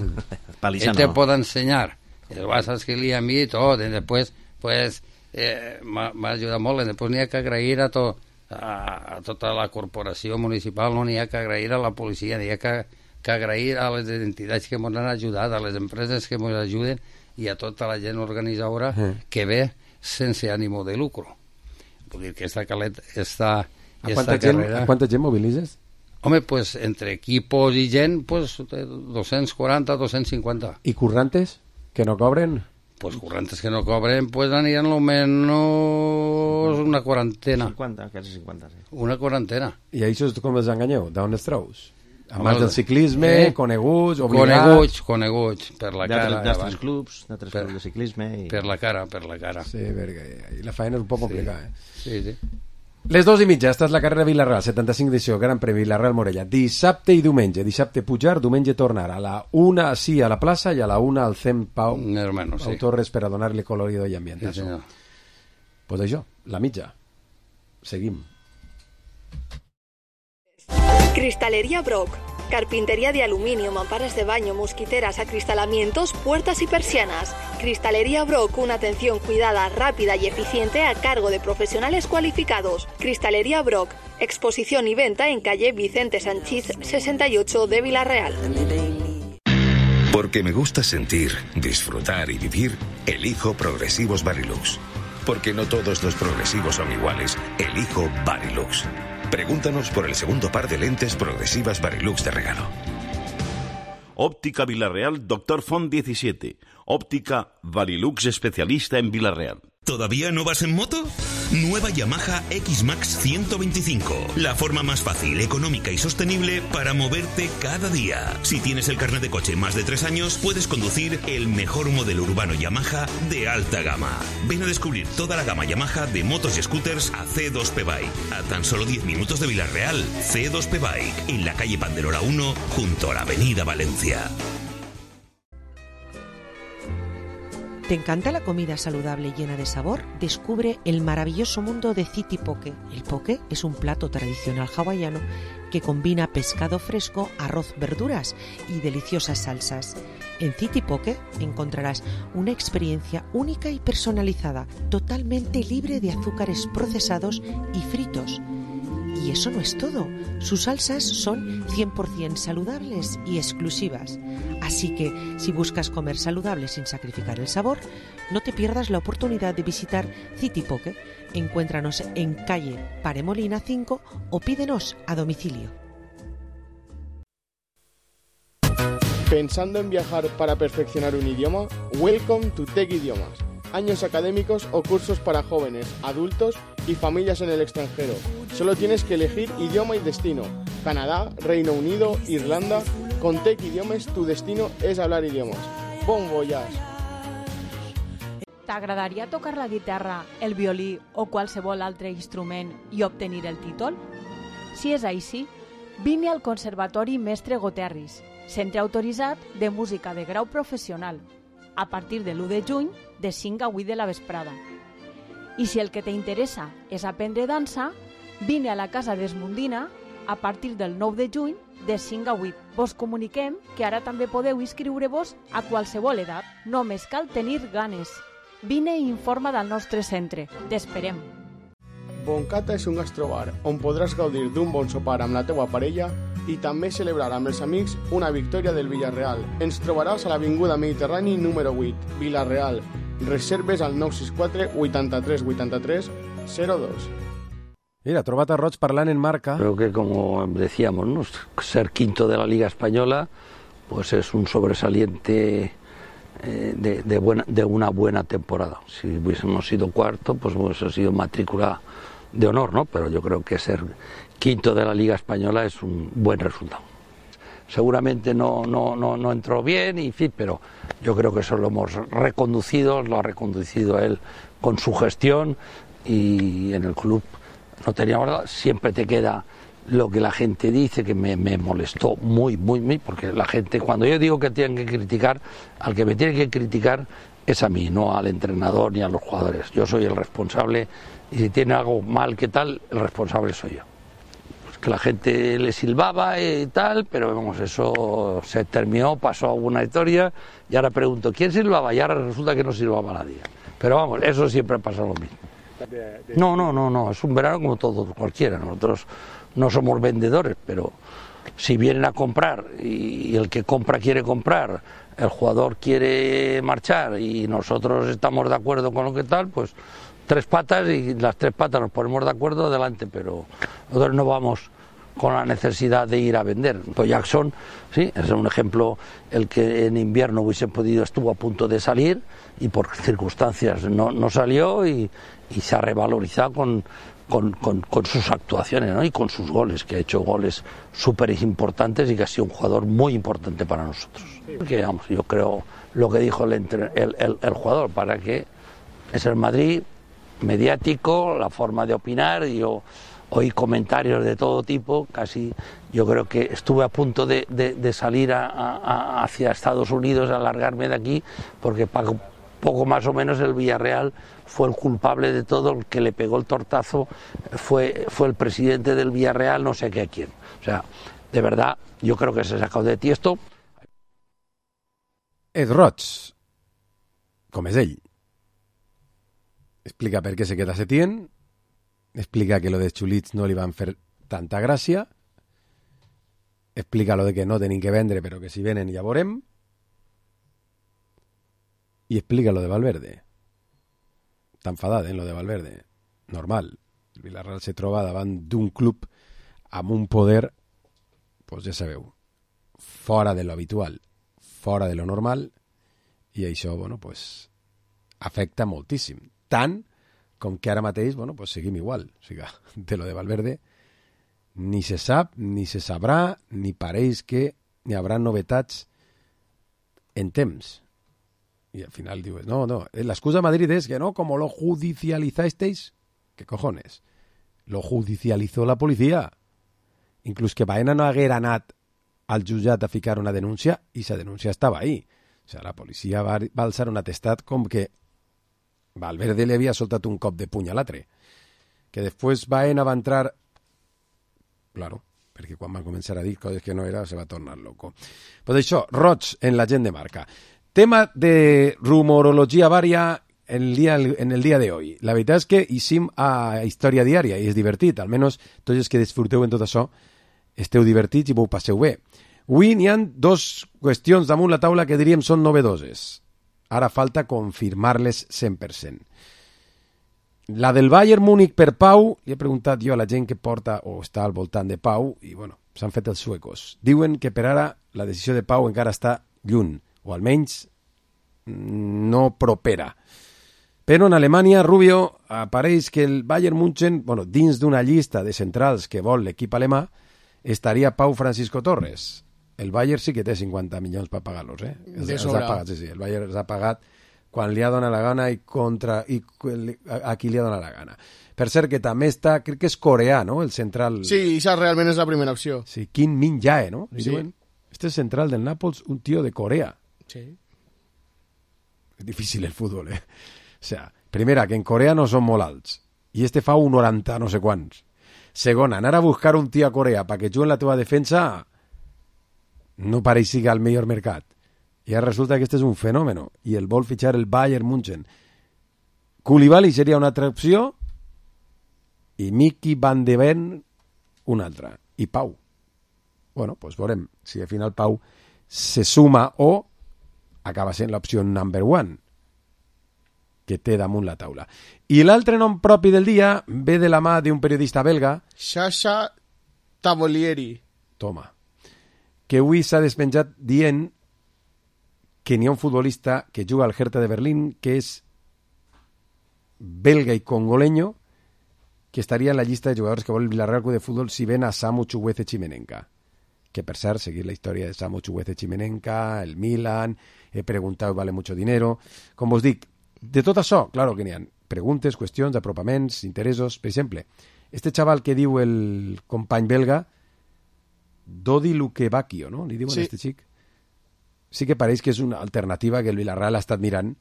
Palissa
Ell te
no.
pot ensenyar. El vas a escriure a mi i tot. I després, pues, m'ha ajudat molt. I després n'hi ha que agrair a tota la corporació municipal, no n'hi ha que agrair a la policia, n'hi ha que agrair a les entitats que ens han ajudat, a les empreses que ens ajuden i a tota la gent organitzadora que ve sense ànimo de lucro. Vull dir que esta carrera...
A quanta gent mobilitzes?
Home, pues entre equipos i gent, pues 240, 250.
I currantes que no cobren?
Pues currantes que no cobren, pues aniran lo menos una quarantena.
50, quasi 50, sí.
Una quarantena.
I això com els enganyeu? D'on els treus? Abans del ciclisme, coneguts,
Coneguts, per la cara.
D'altres clubs de ciclisme.
Per la cara.
Sí, perquè la feina és un poc complicada.
Sí.
Les 2:30, esta és la carrera Vilareal, 75 edició, Gran Premi Vilareal-Morella. Dissabte i diumenge. Dissabte pujar, diumenge tornar. A la 1 sí a la plaça i a la 1 al CEM Pau Torres per a donar-li colorido i ambient.
Sí, senyor.
Pues això, la mitja. Seguim.
Cristalería Brock. Carpintería de aluminio, mamparas de baño, mosquiteras, acristalamientos, puertas y persianas. Cristalería Brock, una atención cuidada, rápida y eficiente a cargo de profesionales cualificados. Cristalería Brock, exposición y venta en calle Vicente Sanchís 68 de Vilarreal.
Porque me gusta sentir, disfrutar y vivir, elijo Progresivos Varilux. Porque no todos los progresivos son iguales, elijo Varilux. Pregúntanos por el segundo par de lentes progresivas Varilux de regalo.
Óptica Vilarreal, Dr. Font 17. Óptica Varilux especialista en Vilarreal.
¿Todavía no vas en moto? Nueva Yamaha X-Max 125. La forma más fácil, económica y sostenible para moverte cada día. Si tienes el carnet de coche más de 3 años, puedes conducir el mejor modelo urbano Yamaha de alta gama. Ven a descubrir toda la gama Yamaha de motos y scooters a C2P Bike. A tan solo 10 minutos de Vilarreal, C2P Bike, en la calle Panderola 1, junto a la avenida Valencia.
¿Te encanta la comida saludable y llena de sabor? Descubre el maravilloso mundo de City Poke. El poke es un plato tradicional hawaiano que combina pescado fresco, arroz, verduras y deliciosas salsas. En City Poke encontrarás una experiencia única y personalizada, totalmente libre de azúcares procesados y fritos. Y eso no es todo. Sus salsas son 100% saludables y exclusivas. Así que, si buscas comer saludable sin sacrificar el sabor, no te pierdas la oportunidad de visitar City Poke. Encuéntranos en calle Paremolina 5 o pídenos a domicilio.
¿Pensando en viajar para perfeccionar un idioma? Welcome to Tech Idiomas. Años académicos o cursos para jóvenes, adultos y familias en el extranjero. Solo tienes que elegir idioma y destino. Canadá, Reino Unido, Irlanda. Con Tech Idiomes tu destino és hablar idiomes. Bon voyage!
T'agradaria tocar la guitarra, el violí o qualsevol altre instrument i obtenir el títol? Si és així, vine al Conservatori Mestre Goterris, centre autoritzat de música de grau professional. a partir de l'1 de juny de 5 a 8 de la vesprada. I si el que t'interessa és aprendre dansa, vine a la Casa d'Esmundina a partir del 9 de juny de 5 a 8. Vos comuniquem que ara també podeu inscriure-vos a qualsevol edat. Només cal tenir ganes. Vine i informa del nostre centre. T'esperem.
Boncata és un gastrobar on podràs gaudir d'un bon sopar amb la teua parella i també celebrar amb els amics una victòria del Villarreal. Ens trobaràs a l'Avinguda Mediterrani número 8, Villarreal. Reserves al 964 83 83 02.
Mira, trobat a Roig parlant en Marca.
Creo que, como decíamos, ¿no? Ser quinto de la Liga Española pues es un sobresaliente de una buena temporada. Si hubiésemos sido cuarto, pues hubiese sido matrícula de honor, ¿no? Pero yo creo que ser quinto de la Liga Española es un buen resultado. Seguramente no entró bien, en fin, pero yo creo que eso lo hemos reconducido, lo ha reconducido él con su gestión, y en el club no teníamos nada. Siempre te queda lo que la gente dice, que me molestó muy, porque la gente, cuando yo digo que tienen que criticar, al que me tiene que criticar es a mí, no al entrenador ni a los jugadores. Yo soy el responsable, y si tiene algo mal, ¿qué tal? El responsable soy yo. Pues que la gente le silbaba y tal, pero vamos, eso se terminó, pasó alguna historia, y ahora pregunto, ¿quién silbaba? Y ahora resulta que no silbaba nadie. Pero vamos, eso siempre pasa lo mismo. No, es un verano como todo, cualquiera. Nosotros no somos vendedores, pero si vienen a comprar y el que compra quiere comprar, el jugador quiere marchar y nosotros estamos de acuerdo con lo que tal, pues tres patas, y las tres patas nos ponemos de acuerdo, adelante, pero nosotros no vamos con la necesidad de ir a vender. Pues Jackson, sí, es un ejemplo, el que en invierno hubiese podido, estuvo a punto de salir y por circunstancias no salió, y se ha revalorizado con sus actuaciones, ¿no? Y con sus goles, que ha hecho goles súper importantes y que ha sido un jugador muy importante para nosotros. Porque, vamos, yo creo lo que dijo el jugador, para que es el Madrid mediático, la forma de opinar, y yo oí comentarios de todo tipo, casi yo creo que estuve a punto de salir hacia Estados Unidos, a largarme de aquí, porque poco más o menos el Villarreal fue el culpable de todo, el que le pegó el tortazo fue el presidente del Villarreal, no sé qué a quién. O sea, de verdad, yo creo que se ha sacado de Tiesto.
Ed Roig, com és ell, explica per què se queda Setién, explica que lo de Chulits no li van fer tanta gràcia, explica lo de que no tenim que vendre, però que si venen ja veurem, i explica lo de Valverde. Està enfadat, lo de Valverde. Normal. El Villarreal se troba davant d'un club amb un poder, pues ja sabeu, fora de lo habitual, fora de lo normal, i això, bueno, pues afecta moltíssim. Tant com que ara mateix, bueno, pues seguim igual. O sigui, de lo de Valverde ni se sap, ni se sabrà, ni pareix que hi haurà novetats en temps. Y al final digo, no, la excusa de Madrid es que no, como lo judicializasteis, ¿qué cojones? Lo judicializó la policía. Incluso que Baena no haguera anat al jutjat a ficar una denúncia, i esa denúncia estava ahí. O sea, la policia va alçar un atestat com que Valverde li havia soltat un cop de puny a l'altre. Que després Baena va entrar... Claro, perquè quan van començar a dir coses que no era, se va tornar loco. Pues això, Roig en la gent de Marca. Tema de rumorología varia en el día de hoy. La veritat és que hicim a història diària i és divertit. Almenys tots els que disfruteu en tot això esteu divertits i vos passeu bé. Avui n'hi ha dos qüestions damunt la taula que diríem són novedoses. Ara falta confirmar-les 100%. La del Bayern Múnich per Pau, li he preguntat jo a la gent que porta o està al voltant de Pau, i bueno, s'han fet els suecos. Diuen que per ara la decisió de Pau encara està lluny, o almenys no propera. Però en Alemanya, Rubio, apareix que el Bayern München, bueno, dins d'una llista de centrals que vol l'equip alemà, estaria Pau Francisco Torres. El Bayern sí que té 50 milions per pagar-los, eh? Els ha pagat, sí, el Bayern els ha pagat quan li ha donat la gana i a qui li ha donat la gana. Per cert, que també està, crec que és coreà, no?, el central...
Sí, això realment és la primera opció.
Sí, Kim Min-jae, no?
Sí.
Este és central del Nàpols, un tio de Corea.
Sí.
És difícil el futbol, O sea, primera, que en Corea no són molt alts. I este fa un 90 no sé quants. Segona, anar a buscar un tio a Corea perquè jugui en la teva defensa no pareix siga el millor mercat. I ara resulta que este és un fenòmeno i el vol fitxar el Bayern München. Koulibaly seria una altra opció i Mickey Van de Ven una altra. I Pau. Bueno, doncs veurem si al final Pau se suma o acaba sent l'opció number one que té damunt la taula. I l'altre nom propi del dia ve de la mà d'un periodista belga,
Sasha Tavolieri.
Toma. Que avui s'ha despenjat dient que n'hi ha un futbolista que juga al Hertha de Berlín que és belga i congoleño que estaria en la llista de jugadors que vol el Villarreal Club de Fútbol si ven a Samu Chukwueze Chimenenka. Que per cert, seguir la història de Samu Chukwueze Chimenenka, el Milan, he preguntat, vale mucho dinero. Com vos dic, de tot això, claro que n'hi ha preguntes, qüestions, apropaments, interessos. Per exemple, este xaval que diu el company belga, Dodi Lukebakio, no? Li diuen a este xic. Sí que pareix que és una alternativa que el Villarreal ha estat mirant,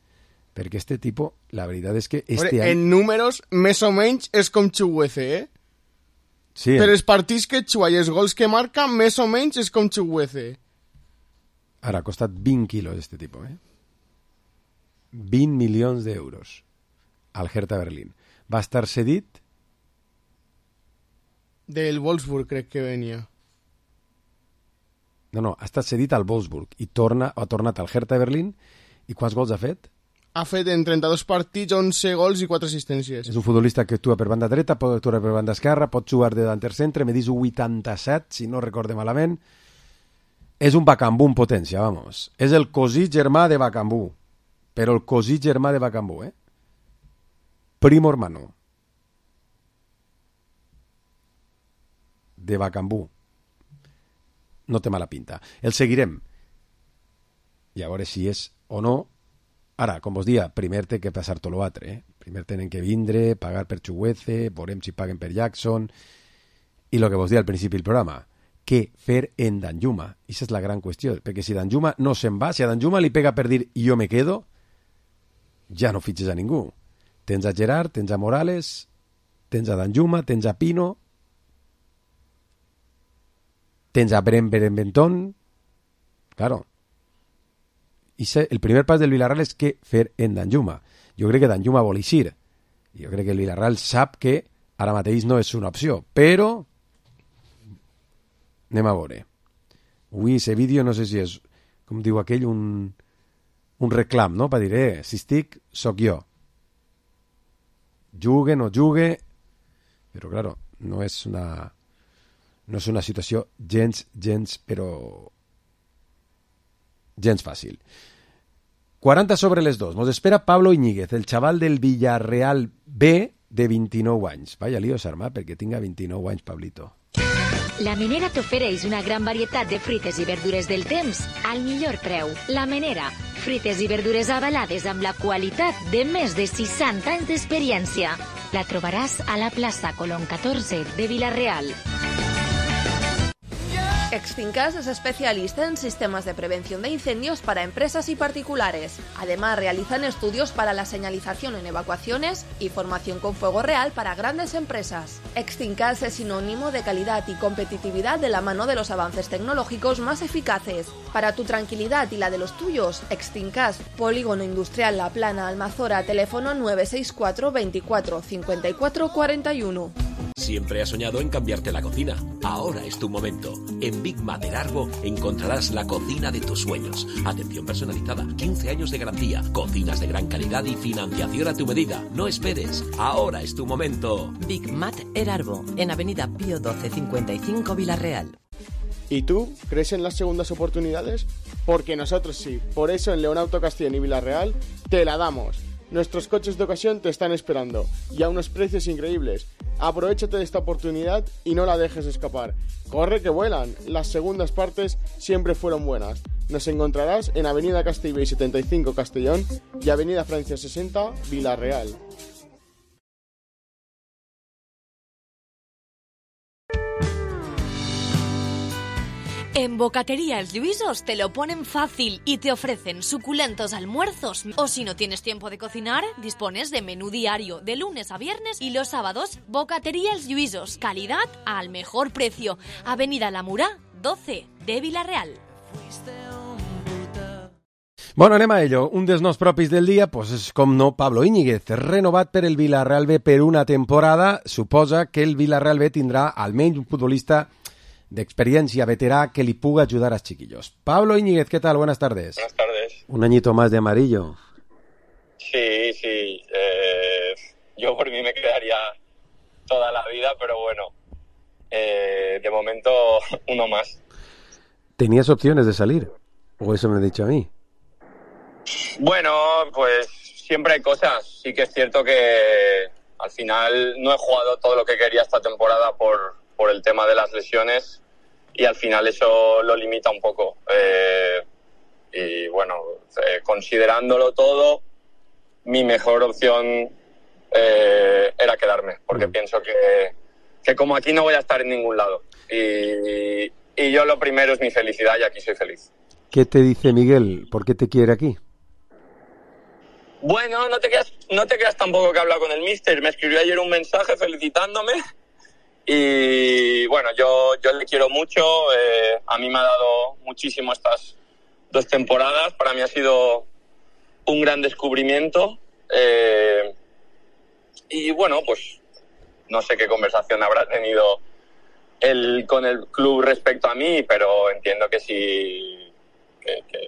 perquè este tipo, la veritat és que este any...
En números, més o menys, és com Chukwueze,
Sí.
Però els partits que juga i els gols que marca, més o menys, és com Chukwueze.
Ara, ha costat 20 quilos este tipo, 20 milions d'euros al Hertha Berlín. Va estar cedit...
Del Wolfsburg, crec que venia.
No, ha estat cedit al Wolfsburg i ha tornat al Hertha Berlín. I quants gols ha fet?
Ha fet en 32 partits 11 gols i 4 assistències.
És un futbolista que actua per banda dreta, pot actuar per banda esquerra, pot jugar de davanter centre, medís 87, si no recorde malament. És un Bakambu en potència, vamos. És el cosí germà de Bakambu. Però el cosí germà de Bakambu, Primo hermano. De Bakambu. No té mala pinta. El seguirem. I a veure si és o no. Ara, com vos dia, primer té que passar tot l'altre. Primer tenen que vindre, pagar per Chukwueze, veurem si paguen per Jackson. I el que vos dia al principi del programa, què fer en Danjuma? I aquesta és la gran qüestió, perquè si Danjuma no se'n va, si a Danjuma li pega per dir jo me quedo, ja no fitxes a ningú. Tens a Gerard, tens a Morales, tens a Danjuma, tens a Pino, tens a Benetton, claro. I el primer pas del Villarreal és què fer en Danjuma. Jo crec que Danjuma vol eixir. Jo crec que el Villarreal sap que ara mateix no és una opció, però anem a veure. Avui aquest vídeo no sé si és, com diu aquell, un reclam, no? Per dir, si estic, soc jo. Jugue, no jugue, però, claro, no és una situació gens, però gens fàcil. 40 sobre les 2. Nos espera Pablo Iñiguez, el xaval del Villarreal B de 29 anys. Vaya lío s'arma perquè tinga 29 anys, Pablito.
La Menera t'ofereix una gran varietat de fruites i verdures del temps al millor preu. La Menera, fruites i verdures avalades amb la qualitat de més de 60 anys d'experiència. La trobaràs a la plaça Colón 14 de Villarreal.
Extinkas es especialista en sistemas de prevención de incendios para empresas y particulares. Además, realizan estudios para la señalización en evacuaciones y formación con fuego real para grandes empresas. Extinkas es sinónimo de calidad y competitividad de la mano de los avances tecnológicos más eficaces. Para tu tranquilidad y la de los tuyos, Extinkas, Polígono Industrial La Plana, Almazora, teléfono 964 24 54 41.
Siempre has soñado en cambiarte la cocina. Ahora es tu momento. En Big Mater Arbo encontrarás la cocina de tus sueños. Atención personalizada, 15 años de garantía, cocinas de gran calidad y financiación a tu medida. No esperes. Ahora es tu momento.
Big Mater Arbo, en Avenida Pío 1255 Villarreal.
¿Y tú crees en las segundas oportunidades? Porque nosotros sí. Por eso en León Auto Castellón y Villarreal te la damos. Nuestros coches de ocasión te están esperando y a unos precios increíbles. Aprovechate de esta oportunidad y no la dejes escapar. Corre que vuelan. Las segundas partes siempre fueron buenas. Nos encontrarás en Avenida Castellbell 75 Castellón y Avenida Francia 60 Villarreal.
En Bocatería Els Lluïsos te lo ponen fácil y te ofrecen suculentos almuerzos. O si no tienes tiempo de cocinar, dispones de menú diario de lunes a viernes y los sábados. Bocatería Els Lluïsos, calidad al mejor precio. Avenida La Murà, 12 de Vila-real.
Bueno, anem a ello. Un dels noms propis del dia, pues és com no Pablo Íñiguez, renovat per el Vila-real B per una temporada. Suposa que el Vila-real B tindrà almenys un futbolista de experiencia veterá que le puga ayudar a los chiquillos. Pablo Íñiguez, ¿qué tal? Buenas tardes.
Buenas tardes.
Un añito más de amarillo.
Sí. Yo por mí me quedaría toda la vida, pero bueno, de momento uno más.
¿Tenías opciones de salir? ¿O eso me ha dicho a mí?
Bueno, pues siempre hay cosas. Sí que es cierto que al final no he jugado todo lo que quería esta temporada por el tema de las lesiones y al final eso lo limita un poco. Y bueno, considerándolo todo, mi mejor opción era quedarme, porque pienso que como aquí no voy a estar en ningún lado. Y yo lo primero es mi felicidad y aquí soy feliz.
¿Qué te dice Miguel? ¿Por qué te quiere aquí?
Bueno, no te creas tampoco que he hablado con el míster. Me escribió ayer un mensaje felicitándome. Y bueno, yo le quiero mucho, a mí me ha dado muchísimo estas 2 temporadas, para mí ha sido un gran descubrimiento y bueno, pues no sé qué conversación habrá tenido él con el club respecto a mí, pero entiendo que sí,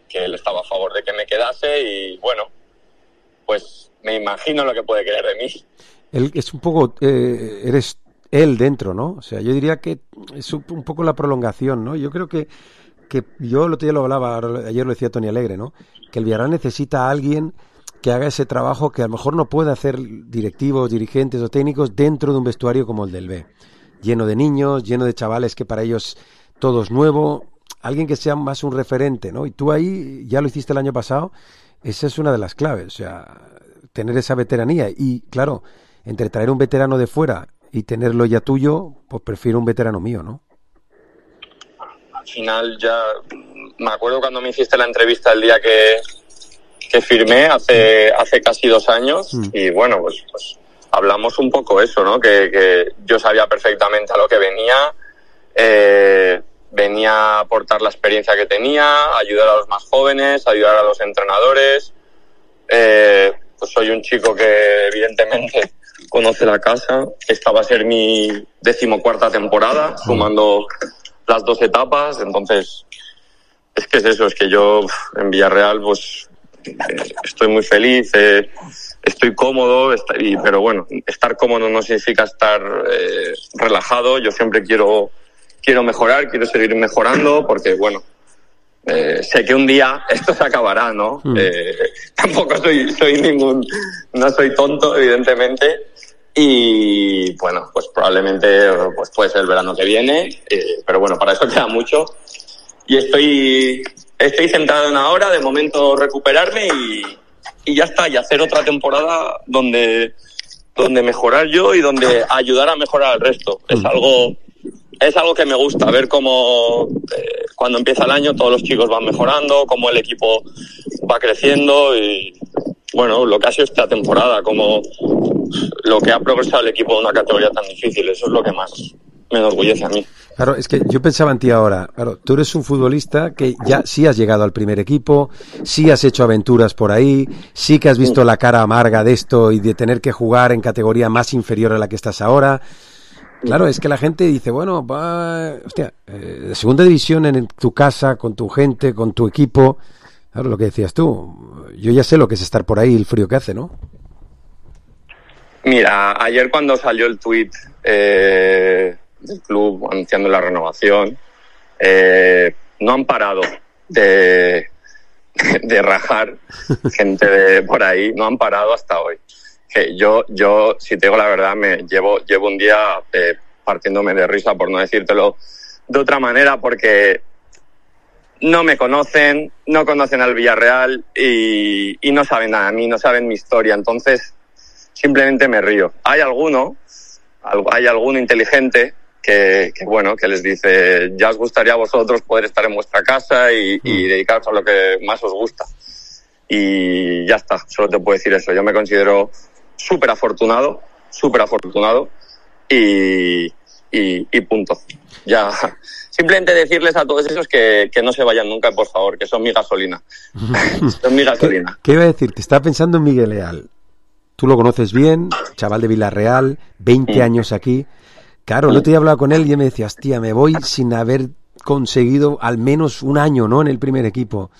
que él estaba a favor de que me quedase y bueno, pues me imagino lo que puede querer de mí.
Él es un poco, eres él dentro, ¿no? O sea, yo diría que es un poco la prolongación, ¿no? Yo creo que yo el otro día lo hablaba, ayer lo decía Tony Alegre, ¿no? Que el Villarreal necesita a alguien que haga ese trabajo que a lo mejor no puede hacer directivos, dirigentes o técnicos dentro de un vestuario como el del B. Lleno de niños, lleno de chavales que para ellos todo es nuevo, alguien que sea más un referente, ¿no? Y tú ahí, ya lo hiciste el año pasado, esa es una de las claves, o sea, tener esa veteranía. Y claro, entre traer un veterano de fuera y tenerlo ya tuyo, pues prefiero un veterano mío, ¿no?
Al final ya me acuerdo cuando me hiciste la entrevista el día que firmé hace casi 2 años y bueno, pues hablamos un poco eso, ¿no? Que yo sabía perfectamente a lo que venía a aportar la experiencia que tenía, ayudar a los más jóvenes, ayudar a los entrenadores. Pues soy un chico que evidentemente conoce la casa. Esta va a ser mi 14ª temporada, sumando las 2 etapas. Entonces, es que es eso, es que yo en Villarreal pues estoy muy feliz, estoy cómodo, pero bueno, estar cómodo no significa estar relajado. Yo siempre quiero mejorar, quiero seguir mejorando, porque bueno, sé que un día esto se acabará, ¿no? Tampoco no soy tonto, evidentemente, y bueno, pues probablemente pues puede ser el verano que viene, pero bueno, para eso queda mucho y estoy centrado en ahora, de momento recuperarme y ya está, y hacer otra temporada donde mejorar yo y donde ayudar a mejorar al resto. Es algo que me gusta, ver cómo cuando empieza el año todos los chicos van mejorando, cómo el equipo va creciendo y bueno, lo que ha sido esta temporada, como lo que ha progresado el equipo en una categoría tan difícil, eso es lo que más me enorgullece a mí.
Claro, es que yo pensaba en ti ahora, claro, tú eres un futbolista que ya sí has llegado al primer equipo, sí has hecho aventuras por ahí, sí que has visto la cara amarga de esto y de tener que jugar en categoría más inferior a la que estás ahora. Claro, es que la gente dice, bueno, de segunda división en tu casa, con tu gente, con tu equipo, claro, lo que decías tú, yo ya sé lo que es estar por ahí, el frío que hace, ¿no?
Mira, ayer cuando salió el tuit del club anunciando la renovación, no han parado de rajar gente de por ahí, no han parado hasta hoy. Que yo, si te digo la verdad, llevo un día partiéndome de risa, por no decírtelo de otra manera, porque no me conocen, no conocen al Villarreal y no saben nada de mí, no saben mi historia. Entonces, simplemente me río. Hay alguno inteligente bueno, que les dice, ya os gustaría a vosotros poder estar en vuestra casa y dedicaros a lo que más os gusta. Y ya está, solo te puedo decir eso. Yo me considero súper afortunado y punto. Ya, simplemente decirles a todos esos que no se vayan nunca, por favor, que son mi gasolina. Son mi gasolina.
¿Qué iba a decir? Te estaba pensando en Miguel Leal. Tú lo conoces bien, chaval de Villarreal, 20 años aquí. Claro, el otro día hablaba con él y él me decía, hostia, me voy sin haber conseguido al menos un año, ¿no?, en el primer equipo.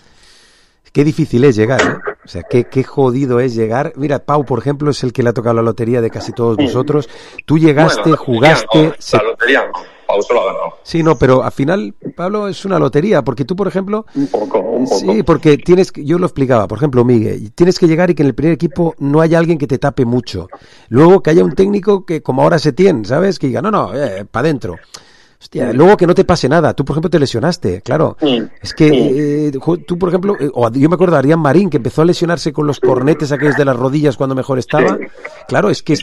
Qué difícil es llegar, ¿eh? O sea, qué jodido es llegar. Mira, Pau, por ejemplo, es el que le ha tocado la lotería de casi todos vosotros. Tú llegaste, bueno, jugaste...
La lotería no, Pau se lo ha ganado.
Sí, no, pero al final, Pablo, es una lotería, porque tú, por ejemplo...
Un poco.
Sí, porque yo lo explicaba, por ejemplo, Miguel, tienes que llegar y que en el primer equipo no haya alguien que te tape mucho. Luego que haya un técnico que, como ahora Setién, ¿sabes? Que diga, no, para adentro. Hostia, luego que no te pase nada. Tú, por ejemplo, te lesionaste, claro. Es que tú, por ejemplo, yo me acuerdo de Arián Marín, que empezó a lesionarse con los cornetes aquellos de las rodillas cuando mejor estaba. Claro, es que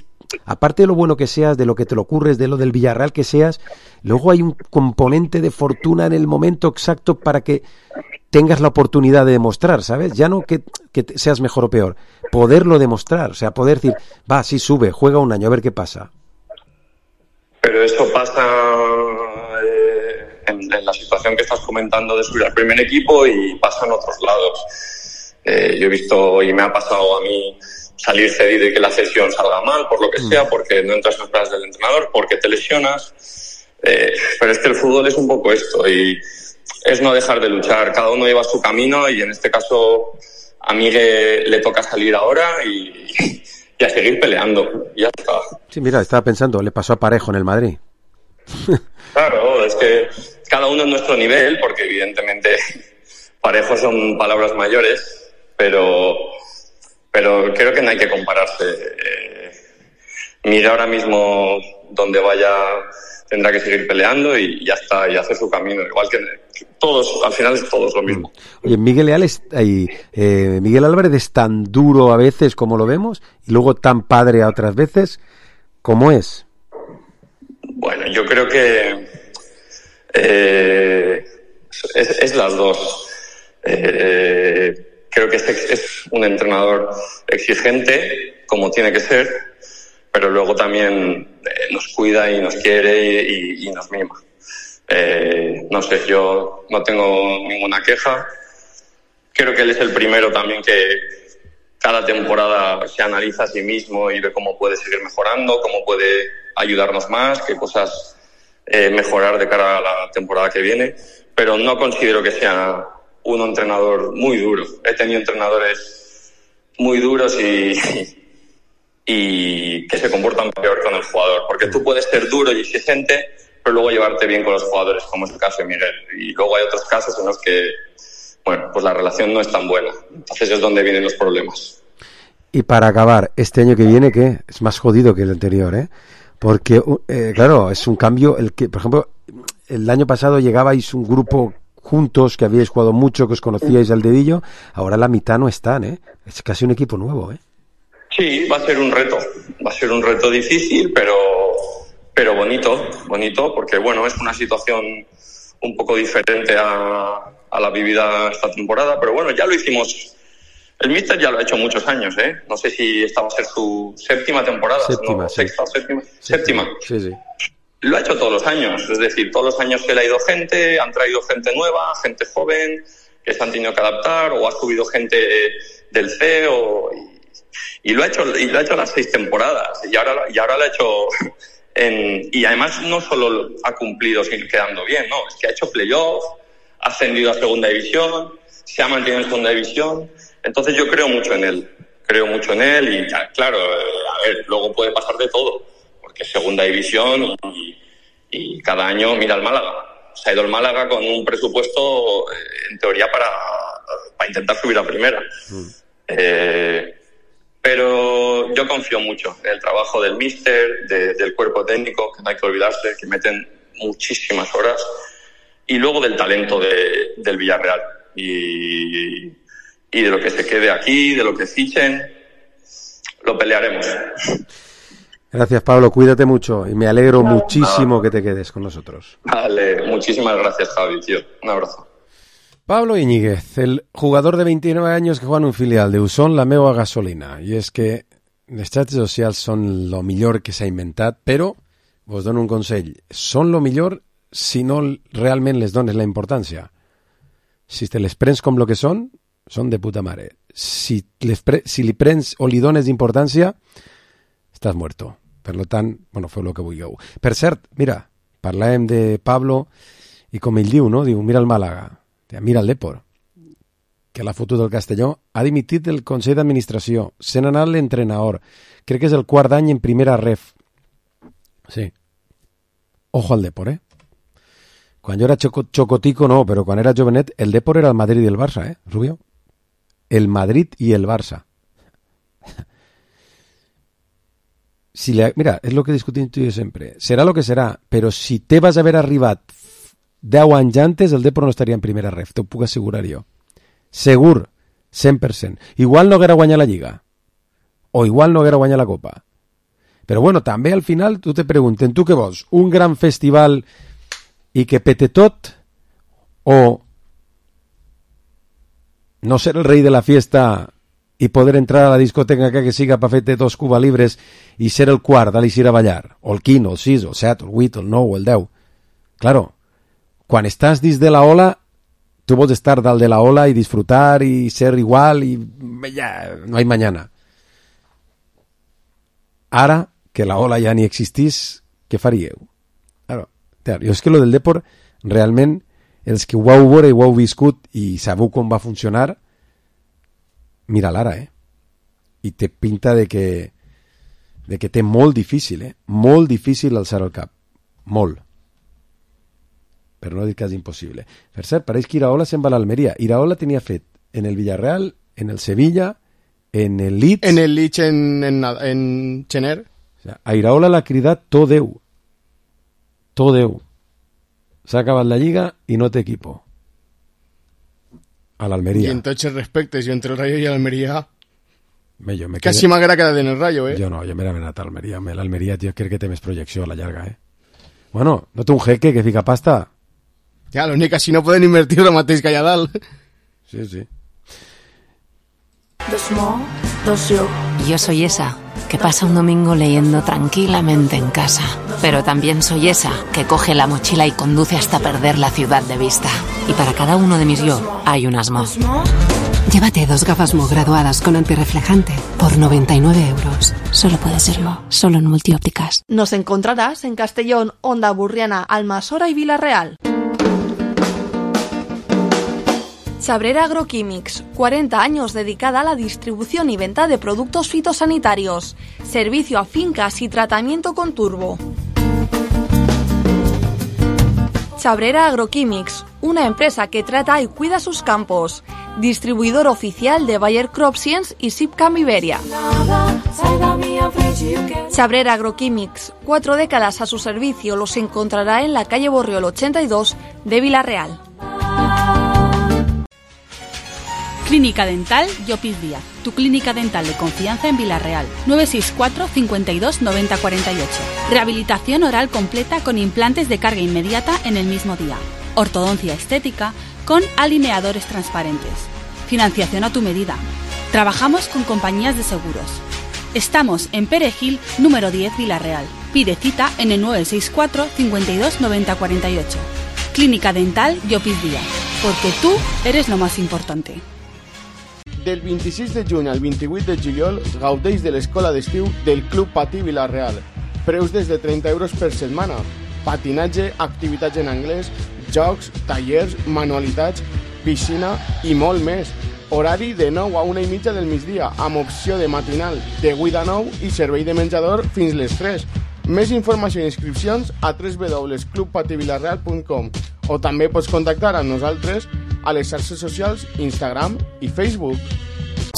aparte de lo bueno que seas, de lo que te lo ocurres, de lo del Villarreal que seas, luego hay un componente de fortuna en el momento exacto para que tengas la oportunidad de demostrar, ¿sabes? Ya no que seas mejor o peor, poderlo demostrar, o sea, poder decir, va, sí, sube, juega un año, a ver qué pasa.
Pero eso pasa en la situación que estás comentando de subir al primer equipo y pasa en otros lados. Yo he visto y me ha pasado a mí salir cedido y que la cesión salga mal, por lo que sea, porque no entras en los planes del entrenador, porque te lesionas. Pero es que el fútbol es un poco esto y es no dejar de luchar. Cada uno lleva su camino y en este caso a Miguel le toca salir ahora y a seguir peleando. Ya está.
Sí, mira, estaba pensando, le pasó a Parejo en el Madrid.
Claro, es que cada uno en nuestro nivel, porque evidentemente Parejo son palabras mayores, pero creo que no hay que compararse. Mira ahora mismo donde vaya tendrá que seguir peleando y ya está, y hace su camino, igual que todos, al final es todos lo mismo.
Oye, Miguel Álvarez es tan duro a veces como lo vemos y luego tan padre a otras veces. ¿Cómo es?
Bueno, yo creo que es las dos. Creo que es un entrenador exigente, como tiene que ser, pero luego también nos cuida y nos quiere y nos mima. No sé, yo no tengo ninguna queja. Creo que él es el primero también que cada temporada se analiza a sí mismo y ve cómo puede seguir mejorando, cómo puede ayudarnos más, qué cosas mejorar de cara a la temporada que viene. Pero no considero que sea un entrenador muy duro. He tenido entrenadores muy duros y que se comportan peor con el jugador, porque tú puedes ser duro y exigente, pero luego llevarte bien con los jugadores, como es el caso de Miguel. Y luego hay otros casos en los que, bueno, pues la relación no es tan buena. Entonces es donde vienen los problemas.
Y para acabar, este año que viene, ¿qué? Es más jodido que el anterior, ¿eh? Porque, claro, es un cambio, el que, por ejemplo, el año pasado llegabais un grupo juntos, que habíais jugado mucho, que os conocíais al dedillo, ahora la mitad no están, ¿eh? Es casi un equipo nuevo, ¿eh?
Sí, va a ser un reto difícil, pero bonito, porque bueno, es una situación un poco diferente a la vivida esta temporada, pero bueno, ya lo hicimos, el míster ya lo ha hecho muchos años, no sé si esta va a ser su séptima temporada, sexta o séptima.
Sí.
Lo ha hecho todos los años, es decir, todos los años que le ha ido gente, han traído gente nueva, gente joven, que se han tenido que adaptar, o ha subido gente del C, y lo ha hecho las 6 temporadas, y ahora lo ha hecho y además no solo ha cumplido sin quedando bien, no, es que ha hecho playoff, ha ascendido a segunda división, se ha mantenido en segunda división. Entonces yo creo mucho en él y claro, a ver, luego puede pasar de todo, porque es segunda división y cada año mira al Málaga. Se ha ido el Málaga con un presupuesto en teoría para intentar subir a primera. Pero yo confío mucho en el trabajo del míster, del cuerpo técnico, que no hay que olvidarse, que meten muchísimas horas, y luego del talento del Villarreal. Y de lo que se quede aquí, de lo que fichen, lo pelearemos.
Gracias, Pablo, cuídate mucho y me alegro muchísimo que te quedes con nosotros.
Vale, muchísimas gracias, Javi, tío. Un abrazo.
Pablo Iñiguez, el jugador de 29 anys que juega en un filial de Usón, la meua gasolina. I és que les xarxes socials són lo millor que s'ha inventat, però vos dono un consell. Són lo millor si no realment les dones la importància. Si te les prens com lo que són de puta mare. Si li prens o li dones importància, estàs muerto. Per lo tant, bueno, feu el que vulgueu. Per cert, mira, parlàvem de Pablo i com ell diu, no? Diu, mira el Màlaga, mira el Depor, que l'ha fotut del Castelló, ha dimitit del Consell d'Administració, se n'ha anat l'entrenador, crec que és el quart any en primera ref. Sí. Ojo al Depor, Quan jo era xocotico no, però quan era jovenet, el Depor era el Madrid i el Barça, Rubio? El Madrid i el Barça. Mira, és el que discutim tu i jo sempre. Serà el que serà, però si te vas haver arribat 10 anys antes, el Depor no estaria en primera ref, t'ho puc assegurar jo. Segur, 100%. Igual no haguera guanyat la Lliga, o igual no haguera guanyat la Copa. Però bueno, també al final tu te pregunten, tu què vols? Un gran festival i que pete tot, o no ser el rei de la fiesta i poder entrar a la discoteca que siga per fer-te 2 Cuba Libres i ser el quart d'alir a ballar, o el 15, el 6, el 7, el 8, el 9, el 10. Claro, quan estàs dins de la ola, tu vols estar dalt de la ola i disfrutar i ser igual i ja, no hay mañana. Ara que la ola ja ni existís, què faríeu? Claro, jo és que lo del Depor, realment, els que ho heu veure i ho heu viscut i sabeu com va funcionar, mira l'ara, I té pinta de que té molt difícil, molt difícil alçar el cap. Molt. Però no dir que és impossible. Per cert, pareix que Iraola se'n va a l'Almeria. Iraola tenia fet en el Villarreal, en el Sevilla, en el Leeds...
En el Leeds en Chener.
O sea, a Iraola l'ha cridat tot Déu. Tot Déu. S'ha acabat la Lliga i no té equipo. A l'Almeria.
Y en tots els respectes, jo entre el Rayo i l'Almeria... Casi m'agrada quedar en el Rayo,
Jo no, jo m'he anat a l'Almeria. L'Almeria, tio, crec que té més projecció a la llarga, Bueno, no té un jeque que fica pasta?
Ja, l'únic que si no poden invertir el mateix que allà dalt.
Sí, sí.
Yo soy esa que pasa un domingo leyendo tranquilamente en casa, pero también soy esa que coge la mochila y conduce hasta perder la ciudad de vista. Y para cada uno de mis yo hay un Asmo. Llévate 2 gafas Mo graduadas con antirreflejante por 99 euros. Solo puede serlo, solo en Multiópticas.
Nos encontrarás en Castellón, Onda Burriana, Almasora y Villarreal. Chabrera Agroquímics, 40 años dedicada a la distribución y venta de productos fitosanitarios. Servicio a fincas y tratamiento con turbo. Chabrera Agroquímics, una empresa que trata y cuida sus campos. Distribuidor oficial de Bayer CropScience y Sipcam Iberia. Chabrera Agroquímics, 4 décadas a su servicio, los encontrará en la calle Borriol 82 de Villarreal.
Clínica Dental Llopis Díaz, tu clínica dental de confianza en Villarreal. 964 52 90 48. Rehabilitación oral completa con implantes de carga inmediata en el mismo día. Ortodoncia estética con alineadores transparentes. Financiación a tu medida. Trabajamos con compañías de seguros. Estamos en Perejil, número 10, Villarreal. Pide cita en el 964 52 90 48. Clínica Dental Llopis Díaz, porque tú eres lo más importante.
Del 26 de juny al 28 de juliol gaudeix de l'escola d'estiu del Club Patí Vila-real. Preus des de 30 euros per setmana. Patinatge, activitats en anglès, jocs, tallers, manualitats, piscina i molt més. Horari de 9 a 1:30 del migdia, amb opció de matinal de 8 a 9 i servei de menjador fins les 3. Més informació i inscripcions a www.clubpativilarreal.com o també pots contactar amb nosaltres a les xarxes socials Instagram i Facebook.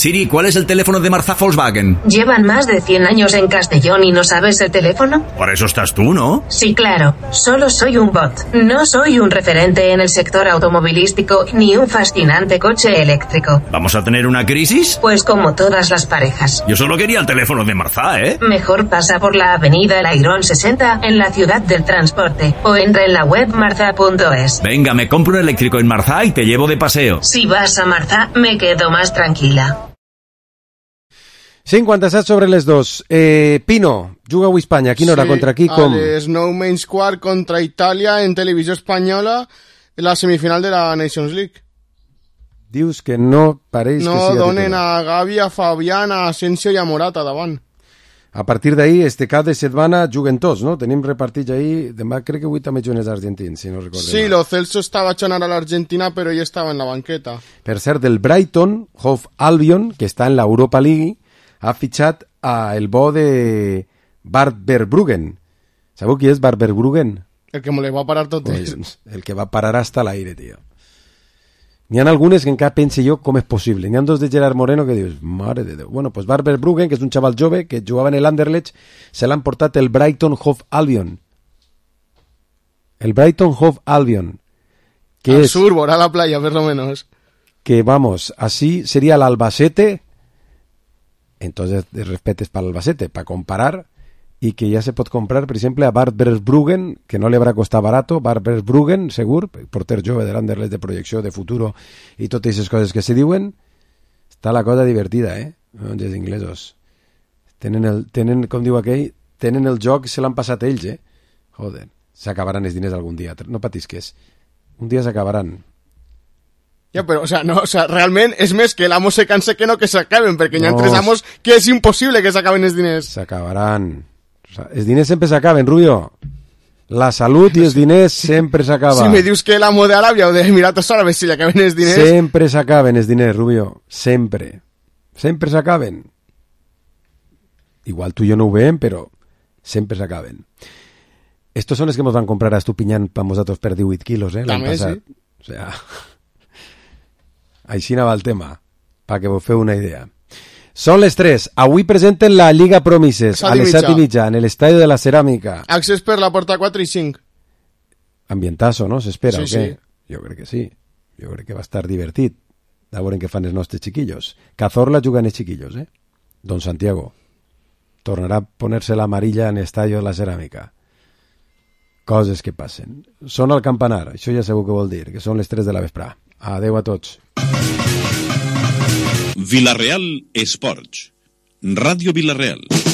Siri, ¿cuál es el teléfono de Marzá Volkswagen?
¿Llevan más de 100 años en Castellón y no sabes el teléfono?
Para eso estás tú, ¿no?
Sí, claro. Solo soy un bot. No soy un referente en el sector automovilístico ni un fascinante coche eléctrico.
¿Vamos a tener una crisis?
Pues como todas las parejas.
Yo solo quería el teléfono de Marzá, ¿eh?
Mejor pasa por la avenida El Airón 60 en la ciudad del transporte o entra en la web marza.es.
Venga, me compro un eléctrico en Marzá y te llevo de paseo.
Si vas a Marzá, me quedo más tranquila.
57 sobre les 2. Pino, juga avui Espanya. A quina hora? Contra qui? Com?
A les 9:15 contra Itàlia en televisió espanyola la semifinal de la Nations League.
Dius que no pareix que sigui
donen
titular.
a Gavi, a Fabián, a Asensio i a Morata davant.
A partir d'ahir, este cap de setmana juguen tots, no? Tenim repartits ahir. Demà crec que avui també juguen els argentins, si no recordo
Sí,
mal.
Lo Celso estava echant a l'Argentina, però ell estava en la banqueta.
Per cert, el Brighton, Hove Albion, que està en l'Europa League, ha fitxat el bo de Bart Verbruggen. Sabeu qui és Bart Verbruggen?
El que me le va a parar tot.
Pues, el que va parar hasta l'aire, tio. N'hi ha algunes que encara pense jo com és possible. N'hi ha dos de Gerard Moreno que dius, mare de Déu. Bueno, pues Bart Verbruggen, que és un xaval jove que jugava en el Anderlecht, se l'han portat el Brighton Hove Albion. El Brighton Hove Albion. Que
Al
es
sur, por a la playa, por lo menos.
que, vamos, así sería el Albacete. Entonces, de respetes para el Albacete, para comparar, y que ya se pot comprar, per exemple, a Bart Verbruggen, que no li haurà costat barato, Bart Verbruggen, segur, porter jove de l'Anderlecht de projecció, de futuro, i totes aquestes coses que se diuen, està la cosa divertida, els inglesos. Tenen, com diu aquell, tenen el joc, se l'han passat ells, Joder, s'acabaran els diners algun dia, no patisques. Un dia s'acabaran.
Ja, però, realment és més que l'amo se canse que no que s'acaben, perquè hi ha
No.
tres amos que és impossible que s'acaben els diners.
S'acabaran. Els diners sempre s'acaben, Rubio. La salut i els diners sempre s'acaben.
Si me dius que l'amo d'Aràbia o d'Emiratos Árabes si li acaben els diners...
Sempre s'acaben els diners, Rubio. Sempre. Sempre s'acaben. Igual tu i jo no ho veiem, però sempre s'acaben. Estos son els que nos van comprar a Estupiñán per nosaltres per 18 quilos, l'any
També,
passat.
sí.
O sea, així anava el tema, perquè vos feu una idea. Són les 3. Avui presenten la Lliga Promises a les 7:30 en l'Estadi de la Ceràmica.
Accés per la porta 4 i 5.
Ambientazo, no? S'espera,
Sí,
o què?
sí.
Jo crec que sí. Jo crec que va estar divertit. A veure què fan els nostres chiquillos. Cazorla juguen els chiquillos, Don Santiago tornarà a ponerse l'amarilla en l'Estadi de la Ceràmica. Coses que passen. Sona el campanar, això ja sabeu què vol dir, que són les 3 de la vesprà. Adeu a tots.
Vilareal Esports. Ràdio Vilareal.